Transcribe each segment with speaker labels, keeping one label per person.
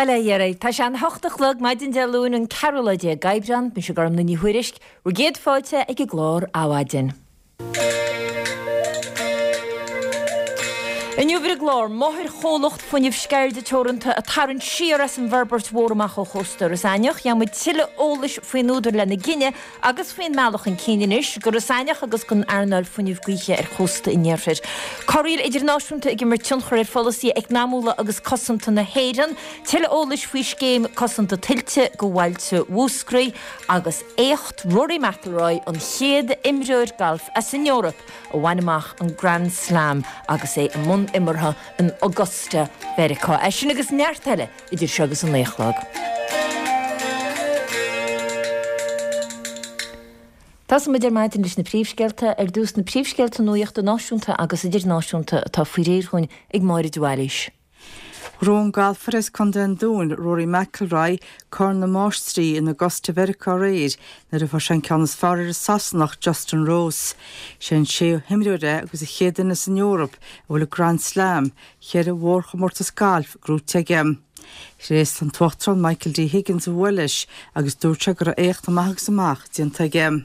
Speaker 1: Bail ó Dhia oraibh. Tá sé an hocht a chlog, maidin Dé Luain an ceathrú lá déag d'Aibreán. Mise Gormlaith Ní Thuairisg, bhur gcéad fáilte ag an gclár Adhmhaidin. Inniu ar an gclár, máthairchomhlacht fuinnimh Sceirde Teoranta ag tarraingt siar as an bhforbairt mhór amach ó chósta Iorras Aithneach. Gheobhaidh muid tuilleadh eolais faoin údar lena gcinneadh agus faoin mbealach chun cinn anois d'Iorras Aithneach agus don earnáil fuinnimh gaoithe ar chósta an iarthair. Corraíl idirnáisiúnta ag imirt tionchar ar pholasaithe eacnamúla agus cosanta na hÉireann. Tuilleadh eolais faoi scéim cosanta tuilte do bhailte Mhúscraí agus éacht Rory McIlroy, an chéad imreoir gailf as an Eoraip a bhain amach an Grand Slam agus é i mbun imeartha in Augusta, Mheiriceá. É sin agus neart eile idir seo agus an 9 a chlog. Tosóidh muid ar maidin leis na príomhscéalta. Ar dtús, na príomhscéalta nuachta náisiúnta agus idirnáisiúnta atá faoi réir dhúinn ag Máire de Bhailís.
Speaker 2: Ghnóthaigh an galfaire as Contae an Dúin, Rory McIlroy, Corn na Máistrí in Augusta Mheiriceá aréir nuair a fuair sé an ceann is fearr ar an Sasanach Justin Rose. Sé an séú himreoir é agus an chéad duine as an Eoraip a bhfuil an Grand Slam, cheithre mhórchomórtas gailf, gnóite aige. Thréaslaigh an tUachtarán Michael D Higgins a bhua leis agus dúirt sé go raibh éacht amach agus amach déanta aige.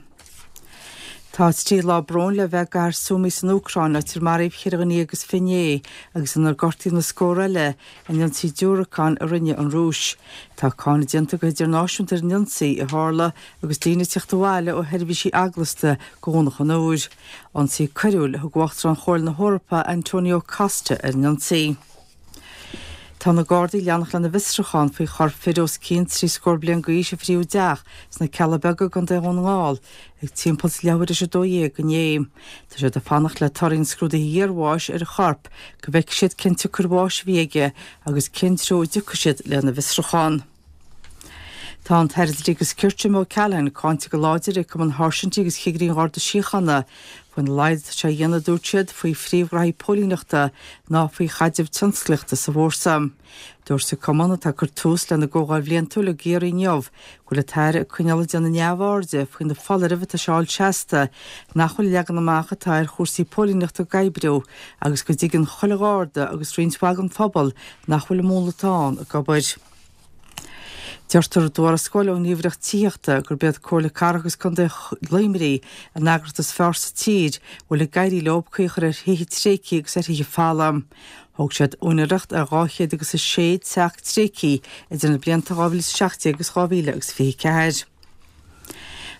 Speaker 2: Tá trí lá bróin le bheith i gcathair Sumy san Úcráin, áit ar maraíodh cheithre dhuine dhéag is finné agus inar gortaíodh na scórtha eile in ionsaí diúracán a rinne an Rúis. Tá cáineadh déanta go hidirnáisiúnta ar an ionsaí, a tharla agus daoine ag teacht abhaile ó sheirbhísí eaglasta go Dhomhnach an Iúir. Ionsaí coiriúil a thug Uachtarán Chomhairle na hEorpa Antonio Costa ar an ionsaí. Tá na Gardaí ag leanacht lena bhfiosrúchán faoi chorp fir os cionn trí scór bliain d'aois a frítheadh i dteach sna Cealla Beaga i gContae Dhún na nGall ag timpeall is leathuair tar éis 12 inné. Tá siad ag fanacht le torthaí an scrúdaithe iarbháis ar an chorp go bhfeicfidh siad cén tsiocair bháis a bhí aige agus cén treo a dtiocfaidh siad lena bhfiosrúchán. Tá an tAire Dlí agus Cirt Jim O'Callaghan cáinte go láidir ag Cumann Sháirsintí agus Chigirí an Gharda Síochána faoina laghad atá sé a dhéanamh, a dúirt siad, faoi phríomhghraithí póilíneachta ná faoi chaidreamh tionsclaíochta sa bhfórsa. Dúirt an Cumann, atá ag cur tús lena gcomhdháil bhliantúil i gCiarraí inniu, go bhfuil an tAire ag coinneáil ag déanamh neamhairde faoi na foláirimh atá sé a fháil seasta nach bhfuil an leagan amach atá ar chúrsaí póilíneachta ag oibriú agus go dtuigeann chuile Gharda agus roinnt mhaith den phobal nach bhfuil an múnla atá ann ag obair. Deirtear i dtuarascáil ón nGníomhaireacht Tithíochta gurb iad Comhairle Cathrach agus Contae Luimnigh an eagraíocht is fearr sa tír a bhfuil ag éirí leo caoi a chur ar thithe tréigthe agus ar thithe folamh. Thóg siad úinéireacht ar 206 teach tréigthe idir na blianta 2017 agus 2024.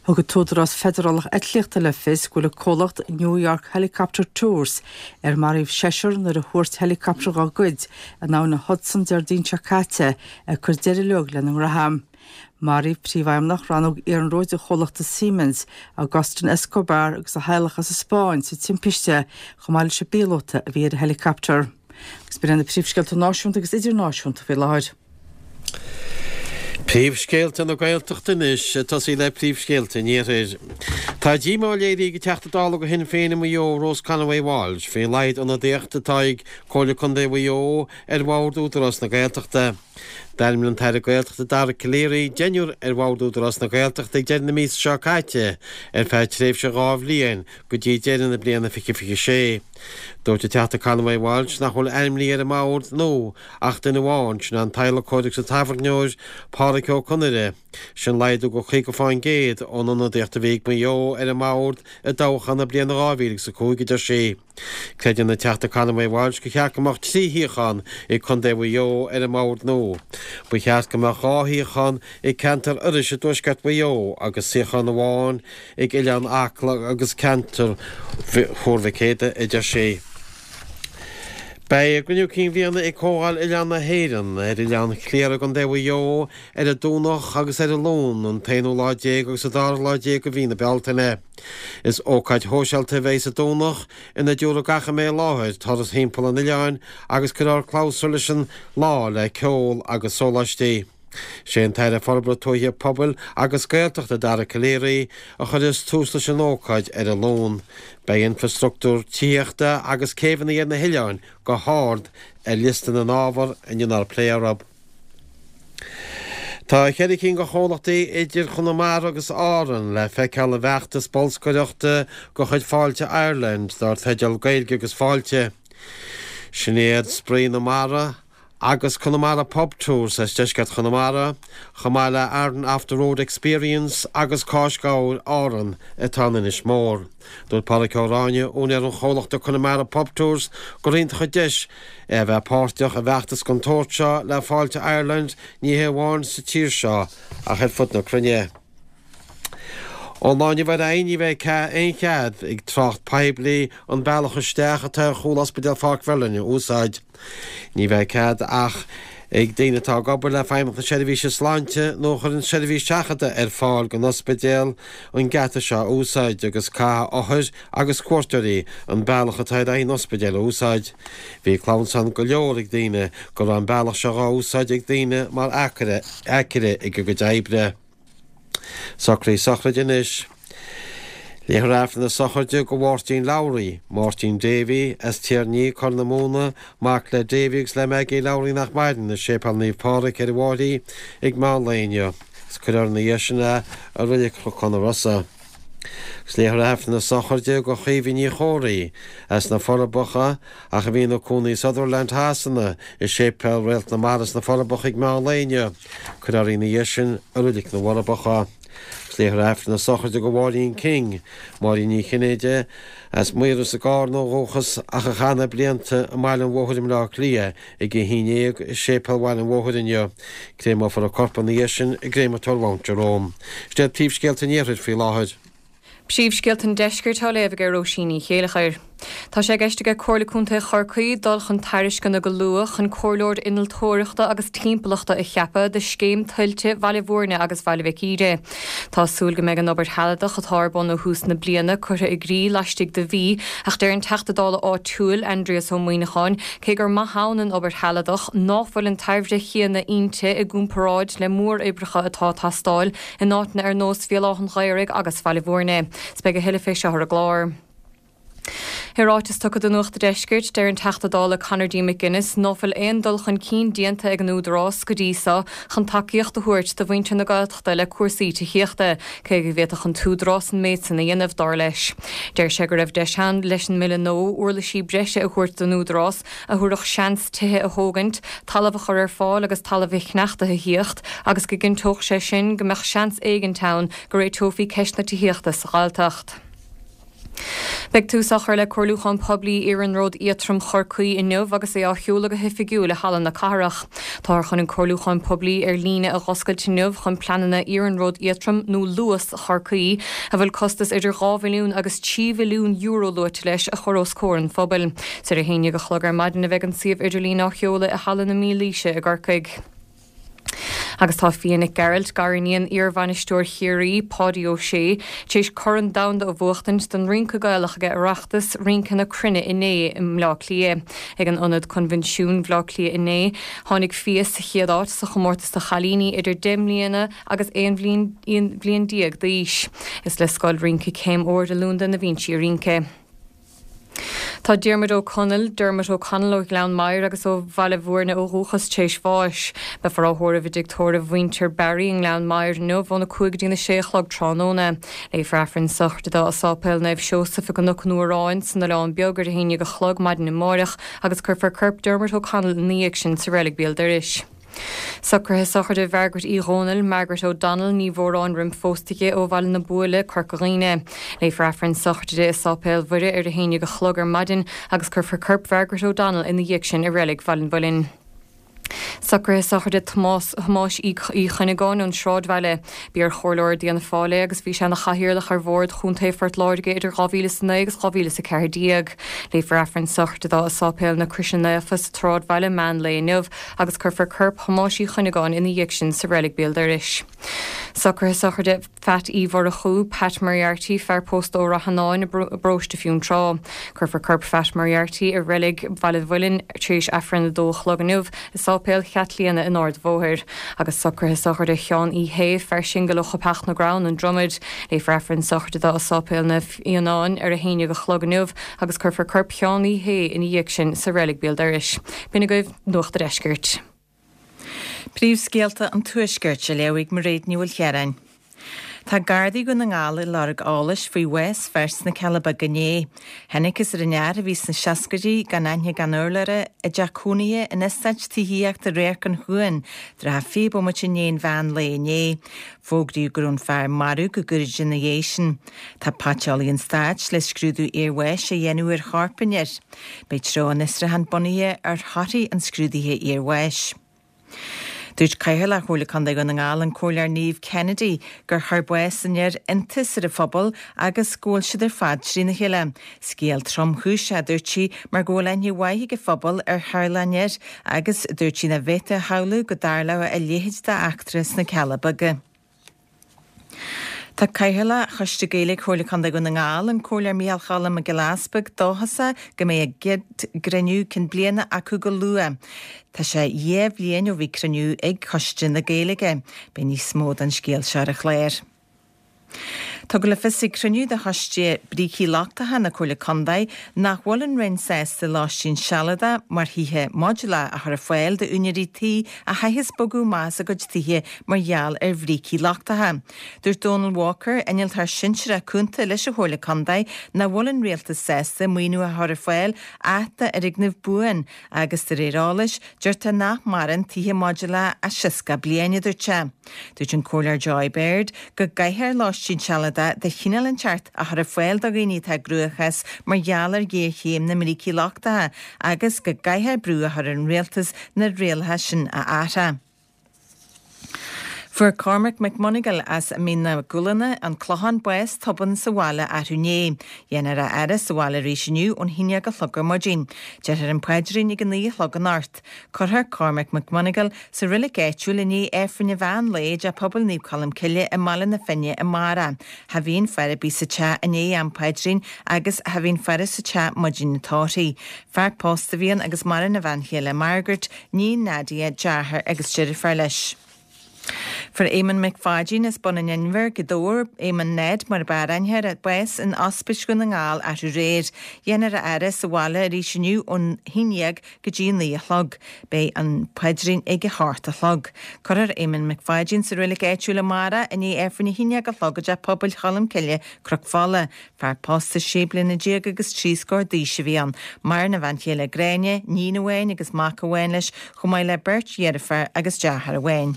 Speaker 2: Thug an tÚdarás Feidearálach Eitlíochta le fios go bhfuil an comhlacht New York Helicopter Tours, ar maraíodh seisear nuair a thuairt heileacaptar dá gcuid in abhainn an Hudson Déardaoin seo caite, ag cur deireadh leo lena ngraithe. Maraíodh príomhfheidhmeannach rannóg iarnróid an chomhlachta Siemens, Agustin Escobar agus a theaghlach as an Spáinn sa timpiste chomh maith leis an bpíolóta a bhí ar an heileacaptar. Agus b'in iad na príomhscéalta náisiúnta agus idirnáisiúnta faoi láthair.
Speaker 3: Príomhscéalta na Gaeltachta anois, ag tosaí le príomhscéalta an Iarthair. Tá díomá léirithe ag an Teachta Dála do Shinn Féin i Maigh Eo, Rose Conway Walsh, faoin laghad ionadaíochta atá ag Comhairle Contae Mhaigh Eo ar Bhord Údarás na Gaeltachta. D'ainmnigh an tAire Gaeltachta Dara Calleary deichniúr ar Bhord Údarás na Gaeltachta ag deireadh na míosa seo caite ar feadh tréimhse dhá bhliain go dtí deireadh na bliana 2026. Dúirt an Teachta Conway Walsh nach bhfuil ainmnithe ar an mbord nua Ach duine amháin, sin an t-adhlacóir agus an tábhairneoir, Pádraic Ó Conaire. Sin laghdú de 50% ón ionadaíocht a bhí ag Maigh Eo ar an mbord i dtoghchán na bliana 2005, a deir sí. Creideann an Teachta Conway Walsh gur cheart go mbeadh trí shuíochán ag Contae Mhaigh Eo ar an mbord nua. Ba cheart go mbeadh dhá shuíochán ag ceantar Iorrais i dtuaisceart Mhaigh Eo agus suíochán amháin ag Oileán Acla agus ceantar Thuar Mhic Éadaigh, a deir sí. Beidh a gcruinniú cinn bhliana ag Comhdháil Oileán na hÉireann ar Oileán Chliara i gContae Mhaigh Eo ar an Domhnach agus ar an Luan, an t-aonú lá déag agus an dara lá déag de mhí na Bealtaine. Is ócáid shóisialta a bheidh sa Domhnach ina dtabharfaidh gach a mbeidh i láthair turas thimpeall an oileáin agus cuirfear clabhsúr leis an lá le ceol agus sóláistí. Sé an tAire Forbartha Tuaithe, Pobail agus Gaeltachta Dara Calleary a chuirfeas tús leis an ócáid ar an Luan. Beidh infrastruchtúr tithíochta agus céibheanna ar na hoileáin go hard ar liosta na n-ábhar a ndéanfar plé orthu. Tá cheithre cinn de chomhlachtaí idir Chonamara agus Árann le feiceáil i bhfeachtas bolscaireachta de chuid Fáilte Ireland dar teideal Gaeilge agus Fáilte. Sin iad Spraoi na Mara. Agus Connemara Pub Tours as deisceart Chonamara, chomh maith le Aran Off the Road Experience agus Cáis Gabhair Árann atá in Inis Mór. Dúirt Pádraic Ó Ráinne, úinéir an chomhlachta Connemara Pub Tours, gur iontach an deis é a bheith páirteach i bhfeachtas den tsórt seo le Fáilte Ireland ní hé amháin sa tír seo ach ar fud na cruinne. Ón lá inniu ar aghaidh ní bheidh aon chead ag trácht poiblí an bealach isteach atá ar chúl Ospidéal Pháirc Mherlin a úsáid. Ní bheidh cead ach ag daoine atá ag obair le Feidhmeannacht na Seirbhíse Sláinte nó a chuireann seirbhís seachadta ar fáil don ospidéal an geata seo a úsáid agus caithfidh othair agus cuairteoirí an bealach atá ar aghaidh an ospidéil a úsáid. Bhí clamhsán go leor ag daoine go raibh an bealach seo dhá úsáid ag daoine mar aicearra ag a gcuid oibre. Socruithe sochraide anois. Léifear Aifreann na sochraide do Mháirtín Lowry, Máirtín Davy, as Tír an Fhia, Corr na Móna, mac le Davy agus le Maggie Lowry nach maireann, i Séipéal Naomh Pádraig ar an bhFairche ag meán lae inniu. Agus cuirfear ina dhiaidh sin é i Reilig Chnocán na Rosa. Agus léifear Aifreann na sochraide do Chaoimhe Ní Chomhraí, as na Forbacha, ach a bhí ina cónaí i Sutherland Shasana, i Séipéal Réalt na Mara sna Forbacha ag meán lae inniu. Cuirfear í ina dhiaidh sin i Reilig na bhForbacha. Agus léifear Aifreann na sochraide do Mháirín King, Máirín Ní Chinnéide, as Maoras i gCarna ó dhúchas ach a chaith na blianta i mBaile an Bhóthair i mBleá Cliath, ag a haon dhéag i Séipéal Bhaile an Bhóthair inniu. Créameofar a corp ina dhiaidh sin i gCréamatóir Mount Jerome. Sin iad príomhscéalta an Iarthair faoi láthair.
Speaker 4: Príomhscéalta an Deiscirt á léamh ag Róisín Ní Chéilleachair. Tá sé i gceist aige Comhairle Contae Chorcaí dul chun tairisceana go luath chun comhairleoir innealtóireachta agus timpeallachta a cheapadh do scéim tuilte Bhaile Bhúirne agus Bhaile Mhic Íre. Tá súil go mbeidh an obair shealadach atá ar bun ó thús na bliana curtha i gcrích laistigh de mhí ach deir an Teachta Dála áitiúil, Aindrias Ó Muíneacháin, cé gur maith ann an obair shealadach, ná fuil an tairbhe chéanna inti i gcomparáid le móroibreacha atá ag teastáil in áiteanna ar nós Bhéal Átha an Ghaorthaidh agus Bhaile Bhúirne. 'S beidh a thuilleadh fé seo ar an gclár. I ráiteas tugtha do Nuacht a' Deiscirt, deir an Teachta Dála Conor D. McGuinness ná fuil aon dul chun cinn déanta ag an Údarás go dtí so chun tacaíocht a thabhairt do mhuintir na Gaeltachta le cúrsaí tithíochta, cé go bhféadfadh an tÚdarás an méid san a dhéanamh, dar leis. Deir sé go raibh deis ann leis an mBille nua uirlisí breise a thabhairt don Údarás a thabharfadh seans tithe a thógaint, talamh a chur ar fáil agus talamh sneachta a thíocht agus go gcinnteodh sé sin go mbeadh seans éigint ann go réiteofaí ceist na tithíochta sa Ghaeltacht. Beidh tús á chur le comhairliúchán poiblí Iarnród Éadtrom Chorcaí inniu agus é á sheoladh go hoifigiúil i Halla na Cathrach. Táthar chun an comhairliúchán poiblí ar líne a dh'oscailt inniu chun pleananna Iarnród Éadtrom nó Luas Chorcaí, a bhfuil costas idir €2 bhilliún agus €3 bhilliún luaite leis, a chur os comhair an phobail. Is ar a haon dhéag a chlog ar maidin a bheidh an suíomh idirlín á sheoladh i Halla na Mílaoise i gCorcaigh. Agus tá Fia Nic Gearailt, gariníon iarbhainisteoir Chiarraí, Páidí Ó Sé, tar éis Corn Domhanda a bhuachtaint don rince Gaelach ag Oireachtas Rince na Cruinne inné i mBleá Cliath. Ag an Ionad Coinbhinsiúin, Bhleá Cliath inné, tháinig Fia sa chéad áit sa chomórtas do chailíní idir 10 mbliana agus 11 bhliain d'aois. Is le Scoil Rince Céim Ard i Londain a bhíonn sí ag rince. Tá Diarmuid Ó Conaill, Dermot O'Connell ó Ghleann Maghair agus ó Bhaile Bhúirne ó dhúchas tar éis bháis. Beifear á thórramh i dtigh tórraimh mhuintir Barry i nGleann Maghair inniu óna 5 go dtína 6 a chlog tráthnóna. Léifear Aifreann sochraide dó i Sáipéal Naomh Seosamh i gCnoc an Fhuaráin san Oileán Beag ar a haon dhéag a chlog maidin amáireach agus cuirfear corp Dermot O'Connell ina dhiaidh sin sa reilig béal dorais. Socruithe sochraide Mhargaret Uí Dhónaill, Margaret O'Donnell, ní mhóráin roim phósta di, ó Bhaile na Buaile, Corca Dhuibhne. Léifear Aifreann sochraide di i Sáipéal Mhuire ar a haon dhéag a chlog ar maidin agus cuirfear corp Mhargaret O'Donnell ina dhiaidh sin i Reilig Bhaile an Mhuilinn. Socruithe sochraide Tomás Thomáis Uí Chuinneagáin ón Sráidbhaile. B'iar-chomhairleoir d'Fhianna Fáil é agus bhí sé ina chathaoirleach ar Bhord Chontae Phort Láirge idir 2009 agus 2014. Léifear Aifreann sochraide dó i Sáipéal na Croise Naofa sa tSráidbhaile meán lae inniu agus cuirfear corp Thomáis Uí Chuinneagáin ina dhiaidh sin sa reilig béal dorais. Socruithe sochraide Pheait Uí Mhurchú, Pat Moriarty, fear pósta ó Rath Fhionáin i bparóiste Fionntrá. Cuirfear corp Phat Moriarty i reilig Bhaile an Mhuilinn tar éis Aifreann a dó a chlog inniu i Sáipéal Chaitlíona in Ard an Bhóthair. Agus socruithe sochraide Sheáin Uí Shé, fear singil ó Choipeach na gCrann, An Dromad. Léifear Aifreann sochraide dó i Sáipéal Naomh Fhionáin ar a haon dhéag a chlog inniu agus cuirfear corp Sheáin Uí Shé ina dhiaidh sin sa reilig béal dorais. B'in agaibh Nuacht a' Deiscirt.
Speaker 5: Príomhscéalta an Tuaiscirt á léamh ag Mairéad Ní Mhaoilchiaráin. Tá Gardaí Dhún na nGall ag lorg eolais faoi bhás fir sna Cealla Beaga inné. Thángthas ar an fhear, a bhí sna seascaidí, gan aithne gan urlabhra, i dteach cónaithe in eastát tithíochta Radharc an Chuain, trátha 20 bomaite i ndiaidh an mheán lae inné. Fógraíodh go raibh an fear marbh go gairid ina dhiaidh sin. Tá Paiteolaí an Stáit le scrúdú iarbháis a dhéanamh ar chorp an fhir. Beidh treo an fhiosrúcháin bunaithe ar thorthaí an scrúdaithe iarbháis. Dúirt Cathaoirleach Chomhairle Contae Dhún na nGall, an Comhairleoir Niamh Kennedy, gur chuir bás an fhir iontas ar an phobal agus go bhfuil siad ar fad trína chéile. Scéal tromchúiseach, a dúirt sí, mar go bhfuil aithne mhaith ag an phobal ar theaghlach an fhir agus dúirt sí nach bhféadfaí a shamhlú go dtarlódh a leithéid d'eachtra sna Cealla Beaga. Tá Cathaoirleach Choiste Gaeilge Chomhairle Contae Dhún na nGall, an Comhairleoir Micheál Choilm Mac Giolla Easpaig, dóchasach go mbeidh a gcéad gcruinniú cinn bliana acu go luath. Tá sé dhá bhliain ó bhí cruinniú ag Coiste na Gaeilge. Beidh níos mó den scéal seo ar an chlár. Tugadh le fios ag cruinniú de Choiste Brící Lochtacha na Comhairle Contae nach bhfuil an Roinn sásta lóistín sealadach mar thithe modúlach a chur ar fáil d'úinéirí tí a chaithfeas bogadh amach as a gcuid tithe mar gheall ar bhrící lochtacha. Dúirt Donal Walker, Innealtóir Sinsearach Cúnta leis an Chomhairle Contae, nach bhfuil an Rialtas sásta maoiniú a chur ar fáil ach d'fhoirgneamh buan agus de réir eolais, deirtear nach maireann tithe modúlacha ach 60 bliain, a dúirt sé. Dúirt an Comhairleoir Joy Baird go gcaithfear lóistín sealadach de chineál inteacht a chur ar fáil do dhaoine atá i gcruachás mar gheall ar ghéarchéim na mbrící lochtacha agus go gcaithfear brú a chur ar an rialtas na rialacha sin a athrá. Fuair Cormac McMonagall as Mín na gCúlanna, An Clochán, bás tobann sa bhaile arú inné. Déanfar a fhaire sa bhaile arís inniu ón haon dhéag a chlog ar maidin. Déarfar an paidrín ag a naoi a chlog anocht. Cuirfear Cormac McMonagall sa roilig áitiúil i ndiaidh Aifreann an mheán lae i dTeach Pobail Naomh Colm Cille i mBaile na Finne amárach. Cha bhíonn faire ar bith sa teach i ndiaidh am paidrín agus cha bhíonn faire sa teach maidin an tórraimh. Fear pósta a bhí ann agus maireann a bhean chéile Margaret, níon Nadia, deartháir agus deirfiúr leis. Fuair Éamonn Mac Pháidín as Bun an Inbhir, Gaoth Dobhair, Éamonn Ned mar ab fhearr aithne air, bás in Ospís Dhún na nGall arú aréir. Déanfar a fhaire sa bhaile arís inniu ón haon dhéag go dtí a naoi a chlog. Beidh an paidrín ag a hocht a chlog. Cuirfear Éamonn Mac Pháidín sa reilig áitiúil amárach i ndiaidh Aifreann a haon dhéag a chlog i dTeach Pobail Cholm Cille, Cnoc Fola. Fear pósta sé bliana déag agus trí scór d'aois a bhí ann. Maireann a bhean chéile Gráinne, níon amháin agus mac amháin leis, chomh maith le beirt dheirfiúr agus deartháir amháin.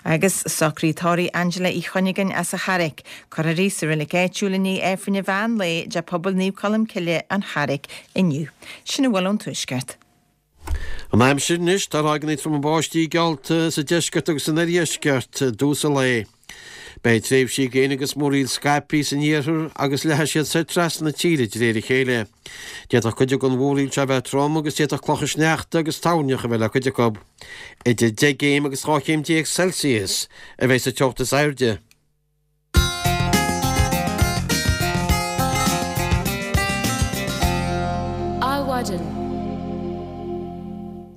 Speaker 5: Agus socraíodh tórramh Angela Uí Chuinneagáin as an Charraic. Cuirfear í sa reilig áitiúil i ndiaidh Aifreann an mheán lae i dTeach Pobail Naomh Colm Cille, An Charraic, inniu. Sin a bhfuil ón Tuaisceart.
Speaker 3: An aimsir anois, tá ráigeanna troma báistí geallta sa deisceart agus san oirdheisceart i dtús an lae. Beidh tréimhsí gréine agus múraíl scaipthe san iarthar agus leathfaidh siad soir trasna na tíre de réir a chéile. D'fhéadfadh cuid den mhúraíl seo a bheith trom agus d'fhéadfadh clocha sneachta agus toirneach a bheith le cuid acu. Idir 10 gcéim agus 12 chéim Celsius a bheidh sa teocht is airde.
Speaker 1: Adhmhaidin.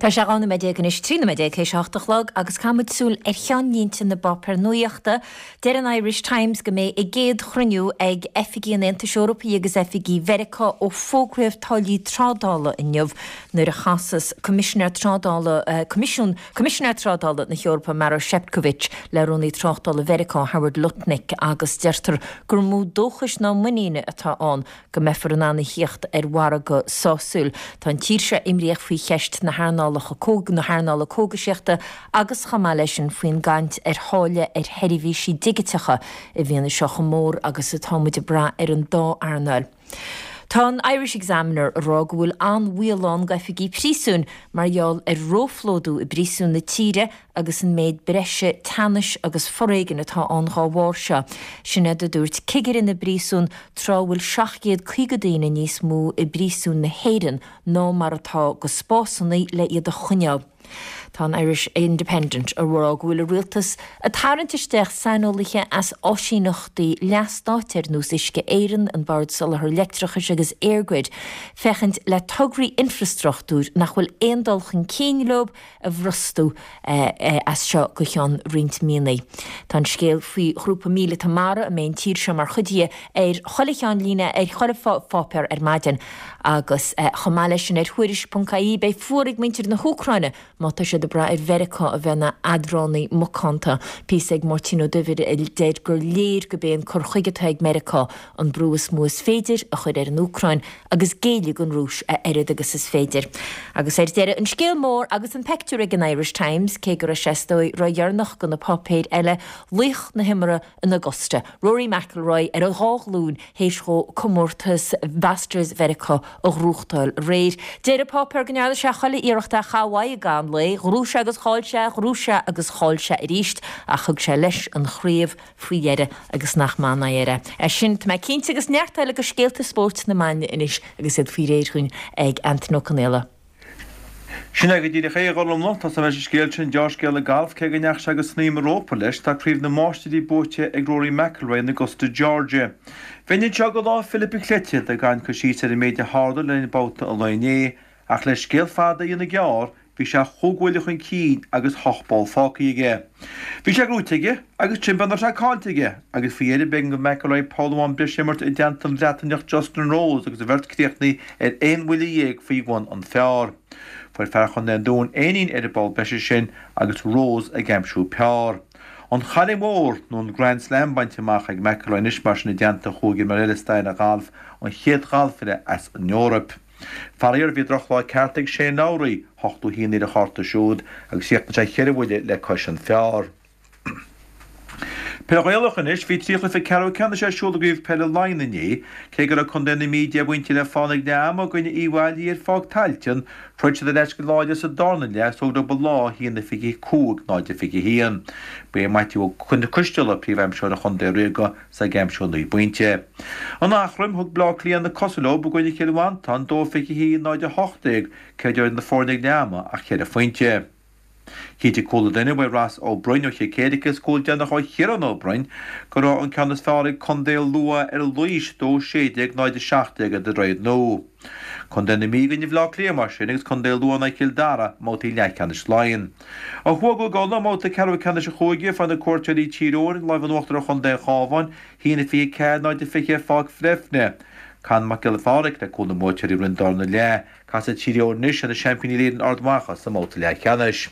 Speaker 1: Tá sé 12 nóiméad anois, 13 nóiméad théis a hocht a chlog agus caithfidh muid súil ar cheannlínte na bpáipéar nuachta. Deir an Irish Times go mbeidh a gcéad chruinniú ag oifigigh an Aontais Eorpaigh agus oifigigh Mheiriceá ó fógraíodh táillí trádála inniu nuair a chasas Coimisinéir Trádála Coimisiún Coimisinéir Trádála na hEorpa Maroš Šefčovič le Rúnaí Tráchtála Mheiriceá Howard Lutnick agus deirtear gur mó dóchais ná muiníne atá ann go mbeifear in ann a thíocht ar mhargadh sásúil. Tá an tír seo imníoch faoi cheist na hearnálacha na hearnála cógaisíochta agus chomh maith leis sin faoin gcaint ar tháille ar sheirbhísí digiteacha i bhfianaise chomh mór agus atá muid ag brath ar an dá earnáil. Tá an Irish Examiner ag rá go bhfuil an-bhaol ann d'oifigigh príosúin mar gheall ar róphlódú i bpríosúin na tíre agus an méid breise teannais agus foréigin atá ann dhá bharr seo. Sin iad a dúirt cigire na bpríosún tráth a bhfuil 750 daoine níos mó i bpríosúin na hÉireann ná mar atá de spásanna le iad a choinneáil. Tá an Irish Independent ag rá go bhfuil an rialtas ag tarraingt isteach saineolaithe as áisíneachtaí leathstáit ar nós Uisce Éireann, an Bord Soláthair Leictreachais agus EirGrid féachaint le tograí infreastruchtúir nach bhfuil aon dul chun cinn leo a bhrostú as seo go ceann roinnt míonna. Tá an scéal faoi ghrúpa míleata mara a mbeidh an tír seo mar chuid dhe ar chuile cheannlíne ar chuile pháipéar ar maidin. Agus chomh maith leis sin ar Thuairisc.ie beidh fuar ag muintir na hÚcráine má tá siad. siad ag brath ar Mheiriceá a bheith ina eadránaí macánta. Píosa ag Máirtín Ó Duibhir a deir gur léir gurb é an cur chuige atá ag Meiriceá an brú is mó is féidir a chur ar an Úcráin agus géilleadh don Rúis a oiread agus is féidir. Agus ar deireadh, an scéal mór agus an peictiúr ag an Irish Times, cé go raibh sé is dóigh ródheireanach do na páipéir eile, laoch na himeartha in Augusta, Rory McIlroy ar a dhá ghlúin théis dhó comórtas Masters Mheiriceá a ghnóthachtáil aréir. Deir an páipéar go ndearna sé chuile iarracht é a chaitheamh uaidh i gcaitheamh an lae, ghnóthaigh sé agus chaill sé, ghnóthaigh sé agus chaill sé arís ach thug sé leis an chraobh faoi dheireadh agus nach maith an aghaidh air é. É sin, tá mé cinnte, agus neart eile de scéalta spóirt na maidne anois agus iad faoi réir dhúinn ag Antain Ó Conaola.
Speaker 6: Sin é go díreach é, a Ghormfhlaith. Tosóidh mé leis an scéal sin, deá-scéal an galf, cé go ndeachaigh sé go snaidhm an rópa leis, tá Craobh na Máistirí buaite ag Rory McIlroy in Augusta, Georgia. Bheinn anseo go Lá Philip an Chleite ag cur síos ar an méid a tharla le linn babhta an lae inné, ach le scéal fada a dhéanamh gearr, bhí sé chúig bhuille chun cinn agus ocht bpoll fágtha aige. Bhí sé gnóite aige agus trim beag nach raibh sé caillte aige, agus faoi dheireadh b'éigean do McIlroy poll amháin breise a imirt i dteannta an Bhreataineach Justin Rose agus an bheirt críochnaithe ar aon bhuille dhéag faoi bhun an phar. Fuair fear Chontae an Dúin éinín ar an bpoll breise sin agus Rose ag aimsiú par. An Chailligh Mhór, nó an Grand Slam bainte amach ag McIlroy anois mar sin i dteannta chúig imreoir eile i stair an ghailf, an chéad ghalfaire as an Eoraip. Faraor, bhí drochlá ceart ag Shane Lowry, 81 ar a chárta siúd, agus chríochnaigh sé cheithre bhuille le cois an phar. Peil Ghaelach anois, bhí 3 chluiche ceathrú ceannais ar siúl i gCraobh Peile Laighean inné. Cé go raibh Contae na Mí 10 bpointe le fána ag leath ama i gcoinne Uíbh Fhailí ar Pháirc Tailteann, throid siad ar ais go láidir sa darna leath is thóg leo an lá 1-25, 0-21. Ba é Maitiú Ó Coisteala príomhaimseoir an chontae ríoga 's ag aimsiú 9 bpointe. In Eachroim, thug Bleá Cliath na cosa leo i gcoinne Chill Mhantáin, 2-21, 0-18, cé idir na foirne ag leath ama ach cheithre phointe. Chinntigh cúl an duine uaidh Ross Ó Broin ó Chill Céirice is cúl déanach ó Chiarán Ó Broin go raibh an ceann is fearr ag Contae Lú ar Laois, 2-16, 0-17 i Droichead Nua. Contae na Mí i gcoinne Bhaile Átha Cliath mar sin agus Contae Lú in aghaidh Chill Dara i mbabhtaí leathcheannais Laighean. Ó thuaidh i gCúige Uladh, i mbabhta ceathrú ceannais an chúige, fuair na cuairteoirí Tír Eoghain an lámh in uachtar ar chontae an Chabháin, 1-24, 0-20 ar Pháirc Bhreifne. Con Mac Giolla Phádraig le cúl na mbuaiteoirí roimh an darna leath. Casfaidh Tír Eoghain anois ar na seaimpíní Uile-Éireann Ard Mhacha sa mbabhta leathcheannais.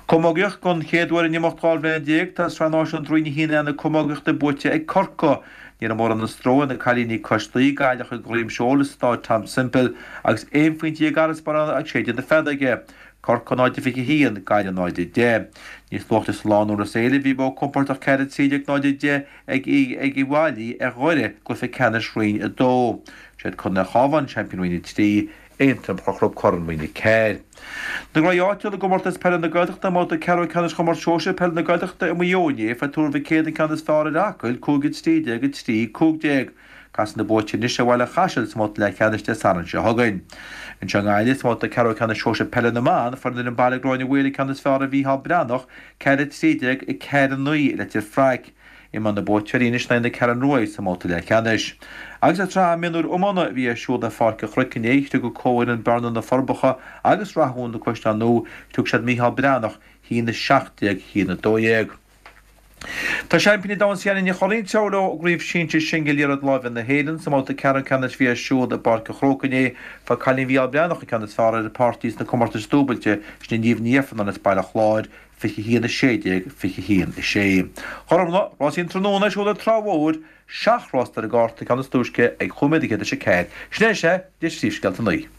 Speaker 6: Camógaíocht, Don chéad uair in imeacht 12 bhliain, tá Sraith Náisiúnta Roinn 1A na camógaíochta buaite ag Corcaigh. Ní raibh mórán stró ar na cailíní cois Laoi, Gaillimh ag droim seoil i Stáid Tom Semple agus 11 phointe d'fharasbarr ag séideadh na feadóige. Corcaigh 0-21, Gaillimh 0-10. Níos luaithe sa lá in Iorras Ailbhe bhí modh compordach 4-13 0-10 ag Uíbh Fhailí ar Dhoire i gcluiche ceannais Roinn 2. Siad Contae an Chabháin seaimpíní Roinn 3, Aontroim a chruthaigh Corn Roinn 4. Na gnóthaí áitiúla i gComórtas Peile na Gaeltachta i mbabhta ceathrú ceannais Chomórtas Sóisir Peile na Gaeltachta i Maigh Eo inné, fuair Tuar Mhic Éadaigh an ceann is fearr ar Acaill, 5 13 3 15. Casfaidh na buaiteoirí anois ar Bhaile Chaisil sa mbabhta leathcheannais Dé Sathairn seo chugainn. Anseo i nGaillimh, sa mbabhta ceathrú ceannais sóisir peile na mban, fuair an fhoireann baile Gráinne Mhaol an ceann is fearr ar Mhícheál Breathnach, 4 13 4 9 i Leitir Fraic. Imreoidh na buaiteoirí anois in aghaidh na Ceathrún Rua sa mbabhta leathcheannais. Agus sa tsraith mionúir iomána a bhí ar siúl ar Pháirc an Chnoic inné, thriúr go comhfhoireann Bearna Na Forbacha agus Rathún Na Caisleáin Nua, thriúr siad Mícheál Breathnach, 1 17 1 12. Tá seaimpíní an domhain Siana Ní Churraoin ag treabhadh leo i gCraobh Shinsir Singil Liathróid Láimhe na hÉireann sa mbabhta ceathrú ceannais a bhí ar siúl i bPáirc an Chrócaigh inné. Fuair cailín Mhícheál Breathnach an ceann is fearr ar a páirtí sna comórtais dúbailte, sin í Niamh Ní Ifearnáin as Baile Chláir, 21 16, 21 6. Gormfhlaith, rásaí an tráthnóna ar siúl ar Trá Mhór, seacht rás ar an gcárta, ceann is túisce ag chúig nóiméad théis a ceathair. Sin é sea, de phríomhscéalta an lae.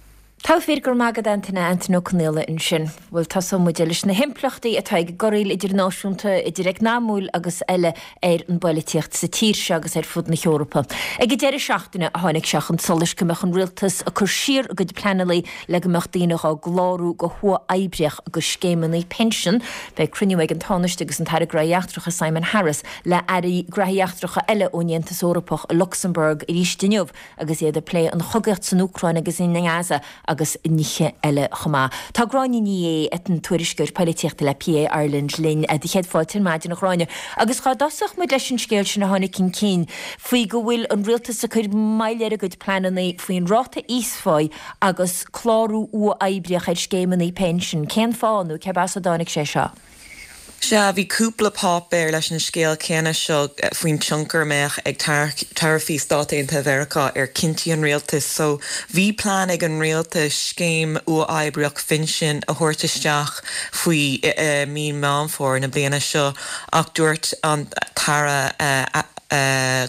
Speaker 1: Togha fir, go raibh maith agat Antaine, Antaine Ó Conaola ansin. Bhuel, tosóidh muid leis na himpleachtaí atá ag corraíl idirnáisiúnta, idir eacnamúil agus eile, ar an bpoilitíocht sa tír seo agus ar fud na hEorpa. Ag an deireadh seachtaine a tháinig sé chun solais go mbeadh an rialtas ag cur siar a gcuid pleananna le go mbeadh daoine dhá gclárú go huathoibríoch do scéimeanna pinsean. Beidh cruinniú ag an Tánaiste agus an tAire Gnóthaí Eachtracha Simon Harris le hairí Gnóthaí Eachtracha eile ón Aontas Eorpach i Lucsamburg arís inniu agus iad ag plé an chogaíocht san Úcráin agus i nGaza agus nithe eile chomh maith. Tá Gráinne Ní Aodha, an tuairisceoir poilitíochta le PA Ireland linn. Do chéad fáilte ar maidin, a Ghráinne. Agus dhá dtosódh muid leis an scéal sin a tháinig chun cinn faoi go bhfuil an rialtas ag cur moill ar a gcuid pleananna faoin ráta íosphá agus clárú uathoibríoch ar scéimeanna pinsin. Cén fáth nó cérb as a dtáinig sé seo?
Speaker 7: Sea, bhí cúpla páipéar leis an scéal céanna seo faoin tionchar a mbeadh ag taraifí Stáit Aontaithe Mheiriceá ar chinntí an rialtais. So, bhí plean ag an rialtas scéim uathoibríoch phinsin a thabhairt isteach faoi mí Meán Fómhair na bliana seo ach dúirt an tAire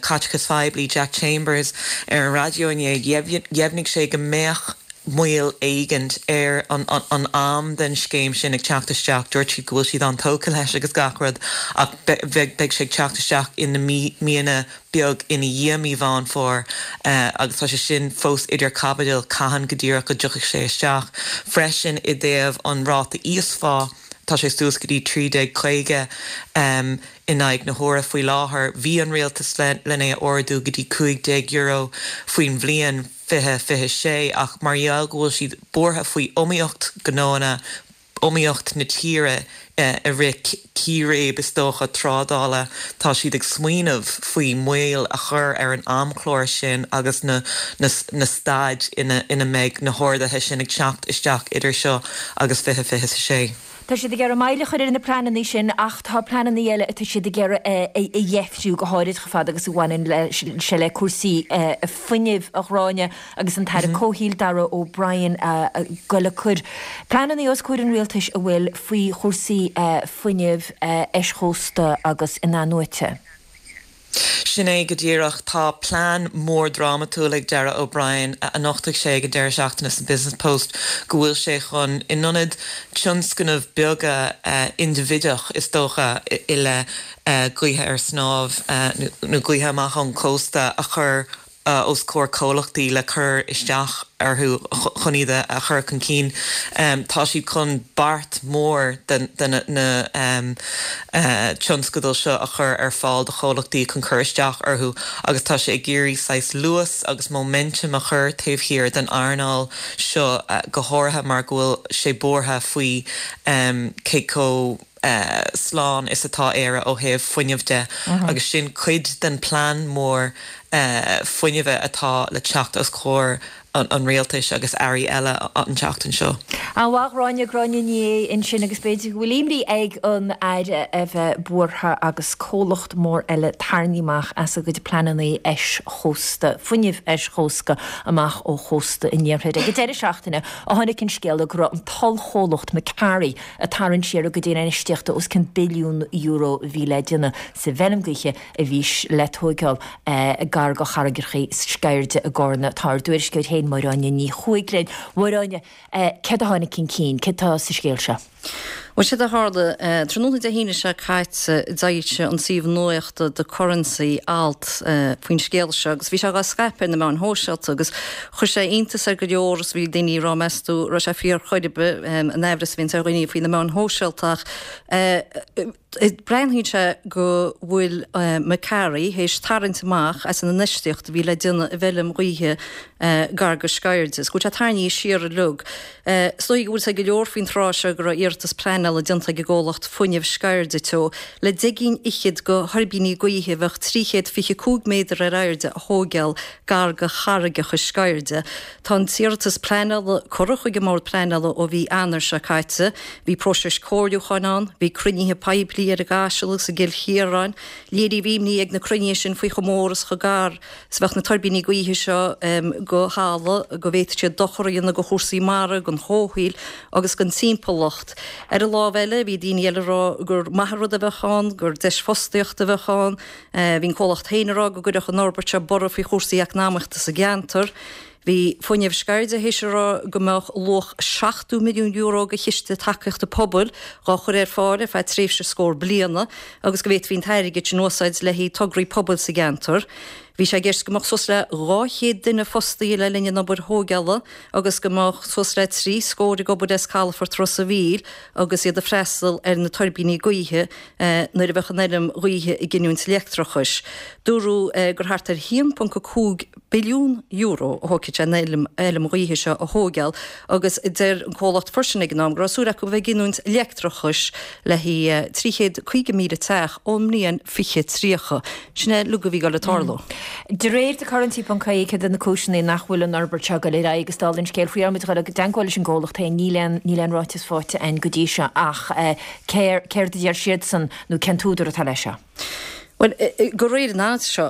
Speaker 7: Caiteachais Phoiblí Jack Chambers ar an raidió inné, dheimhnigh sé go mbeadh moill éigint ar an am den scéim sin ag teacht isteach. Dúirt siad go bhfuil siad an-tógtha leis agus gach rud ach beidh sé ag teacht isteach in na míonna beag ina dhiaidh mí Mheán Fómhair agus tá sé sin fós idir caibidil cathain go díreach go dtiocfaidh sé isteach. Freisin i dtaobh an ráta íosphá, tá sé suas go dtí 13.50 in aghaidh na huaire faoi láthair. Bhí an rialtas len é a ardú go dtí €15 faoin bhliain. 2026, ach mar gheall go bhfuil siad buartha faoi iomaíocht gnóanna, iomaíocht na tíre i rith círéib is dócha trádála, tá siad ag smaoineamh faoi moill a chur ar an amchlár sin agus na na staid ina ina mbeidh na harduithe sin ag teacht isteach idir seo agus 2026.
Speaker 1: Tá siad ag iarraidh moill a chur ar na pleananna sin ach tá pleananna eile atá siad ag iarraidh a dheifriú, go háirid chomh fada agus a bhaineann sé le cúrsaí fuinnimh, a Ghráinne, agus an tAire Comhshaoil Darragh O'Brien ag goil ag cur pleananna os comhair an rialtais a bhfuil faoi chúrsaí fuinnimh eischósta agus in-athnuaite.
Speaker 7: Sin é go díreach. Tá plean mór drámatúil ag Darragh O'Brien, a nochtaigh sé ag an deireadh seachtaine sa Business Post, go bhfuil sé chun, in ionad tionscnamh beaga indibhideach is dócha i leith gaoithe ar snámh nó gaoithe amach ón cósta a chur os comhair comhlachtaí le cur isteach orthu chun iad a chur chun cinn. Tá siad chun beart mór de na tionscadail seo a chur ar fáil do chomhlachtaí chun cur isteach orthu agus tá sé ag iarraidh saghas luas agus móiminteam a chur taobh thiar den earnáil seo go háirithe mar go bhfuil sé buartha faoi cé chomh slán is atá Éire ó thaobh fuinnimh de agus sin cuid den plean mór fuinnimhe atá le teacht os comhair an rialtais agus airí eile an tseachtain seo.
Speaker 1: An-mhaith, a Ghráinne, Gráinne Ní Aodha ansin agus b'fhéidir go bhfuil imní ag an Aire a bheith buartha agus comhlacht mór eile tarraingthe amach as a gcuid pleananna eischósta, fuinnimh eischósta amach ó chósta an iarthair. Ag an deireadh seachtaine a tháinig an scéala go raibh an t-ollchomhlacht Macquarie ag tarraingt siar a gcuid infheistíochta os cionn billiún euro a bhí le déanamh sa bhfeirm gaoithe a bhí le tóigeáil gar do charraigreacha Sceirde i gCarna. Tá ár dtuairisceoir féin, Máire Áine Ní Chuaig linn. Máire Áine, céard a tháinig chun cinn? Céard atá sa scéal seo?
Speaker 8: Bhuel, séard a tharla, tráthnóna Dé hAoine seo caite, d'fhoilsigh an suíomh nuachta The Currency alt faoin scéal seo agus bhí sé dhá scaipeadh ar na meáin shóisialta agus chuir sé iontas ar go leor agus bhí daoine ag rá meas tú raibh sé fíor chor ar bith, an aimhreas a bhíonns ar dhaoine faoi na meáin shóisialta ach Breathnaíonn sé go bhfuil Macquarie théis tarraingt amach as an infheistíocht a bhí le déanamh i bhfeilm ghaoithe gar go Sceirde, is go bhfuil sé tarraingthe siar uilig. Is dóigh go bhfuil a fhios ag go leor faoin tráth seo go raibh iarratas pleanála déanta ag an gcomhlacht Fuinneamh Sceirde Teo le 10 gcinn fhichead de thuirbíní gaoithe a bheadh 325 méadar ar airde a thóigeáil gar go charraigeacha Sceirde. Tá an t-iarratas pleanála curtha chuig an mBord Pleanála ó mhí Eanáir seo caite. Bhí próiseas comhairliúcháin ann, bhí cruinnithe poiblí ar an gCaiseal agus i gCill Chiaráin. Léiríodh imní ag na cruinnithe sin faoi chomh mór is chomh gar is a bheadh na tuirbíní gaoithe seo go thalamh, go bhféadfadh siad dochar a dhéanamh do chúrsaí mara, don chomhshaol agus don timpeallacht. Ar an lámh eile, bhí daoine eile ag rá gur maith an rud a bheadh ann, gur deis fostaíochta a bheadh ann. Bhí an comhlacht féin ag rá go gcuirfeadh an fhorbairt seo borradh faoi chúrsaí eacnamaíochta sa gceantar. Bhí Fuinneamh Sceirde théis a rá go mbeadh luach €70 milliún de chiste tacaíochta pobail dhá chur ar fáil ar feadh tréimhse scór bliana agus go bhféadfaí an t-airgead sin a úsáid le haghaidh tograí pobail sa gceantar. Bhí sé i gceist go mbeadh suas le 200 duine fostaithe le linn an obair thóigeála agus go mbeadh suas le 3 scór ag obair as calafort Ros a' Mhíl agus iad ag freastal ar na tuirbíní gaoithe nuair a bheadh an fheirm ghaoithe ag giniúint leictreachais. Dúradh gur thart ar €1.5 billiún a thógfaidh sé an fheilm ghaoithe seo a thóigeáil agus deir an comhlacht freisin ag an am go raibh súil acu a bheith ag giniúint leictreachais le haghaidh 350,000 teach ón mbliain 2030. Sin é uilig a bhí ag dul le tarlú.
Speaker 1: De réir The Currency ponc ie céard iad na cúiseanna nach bhfuil an fhorbairt seo ag dul ar aghaidh agus dála an scéil faoi dheireadh muid ag dul i dteagmháil leis an gcomhlacht féin níl aon níl aon ráiteas faighte againn go dtí seo ach céard a deir siadsan nó cén t-údar atá leis seo?
Speaker 8: Bhuel, de réir an ailt seo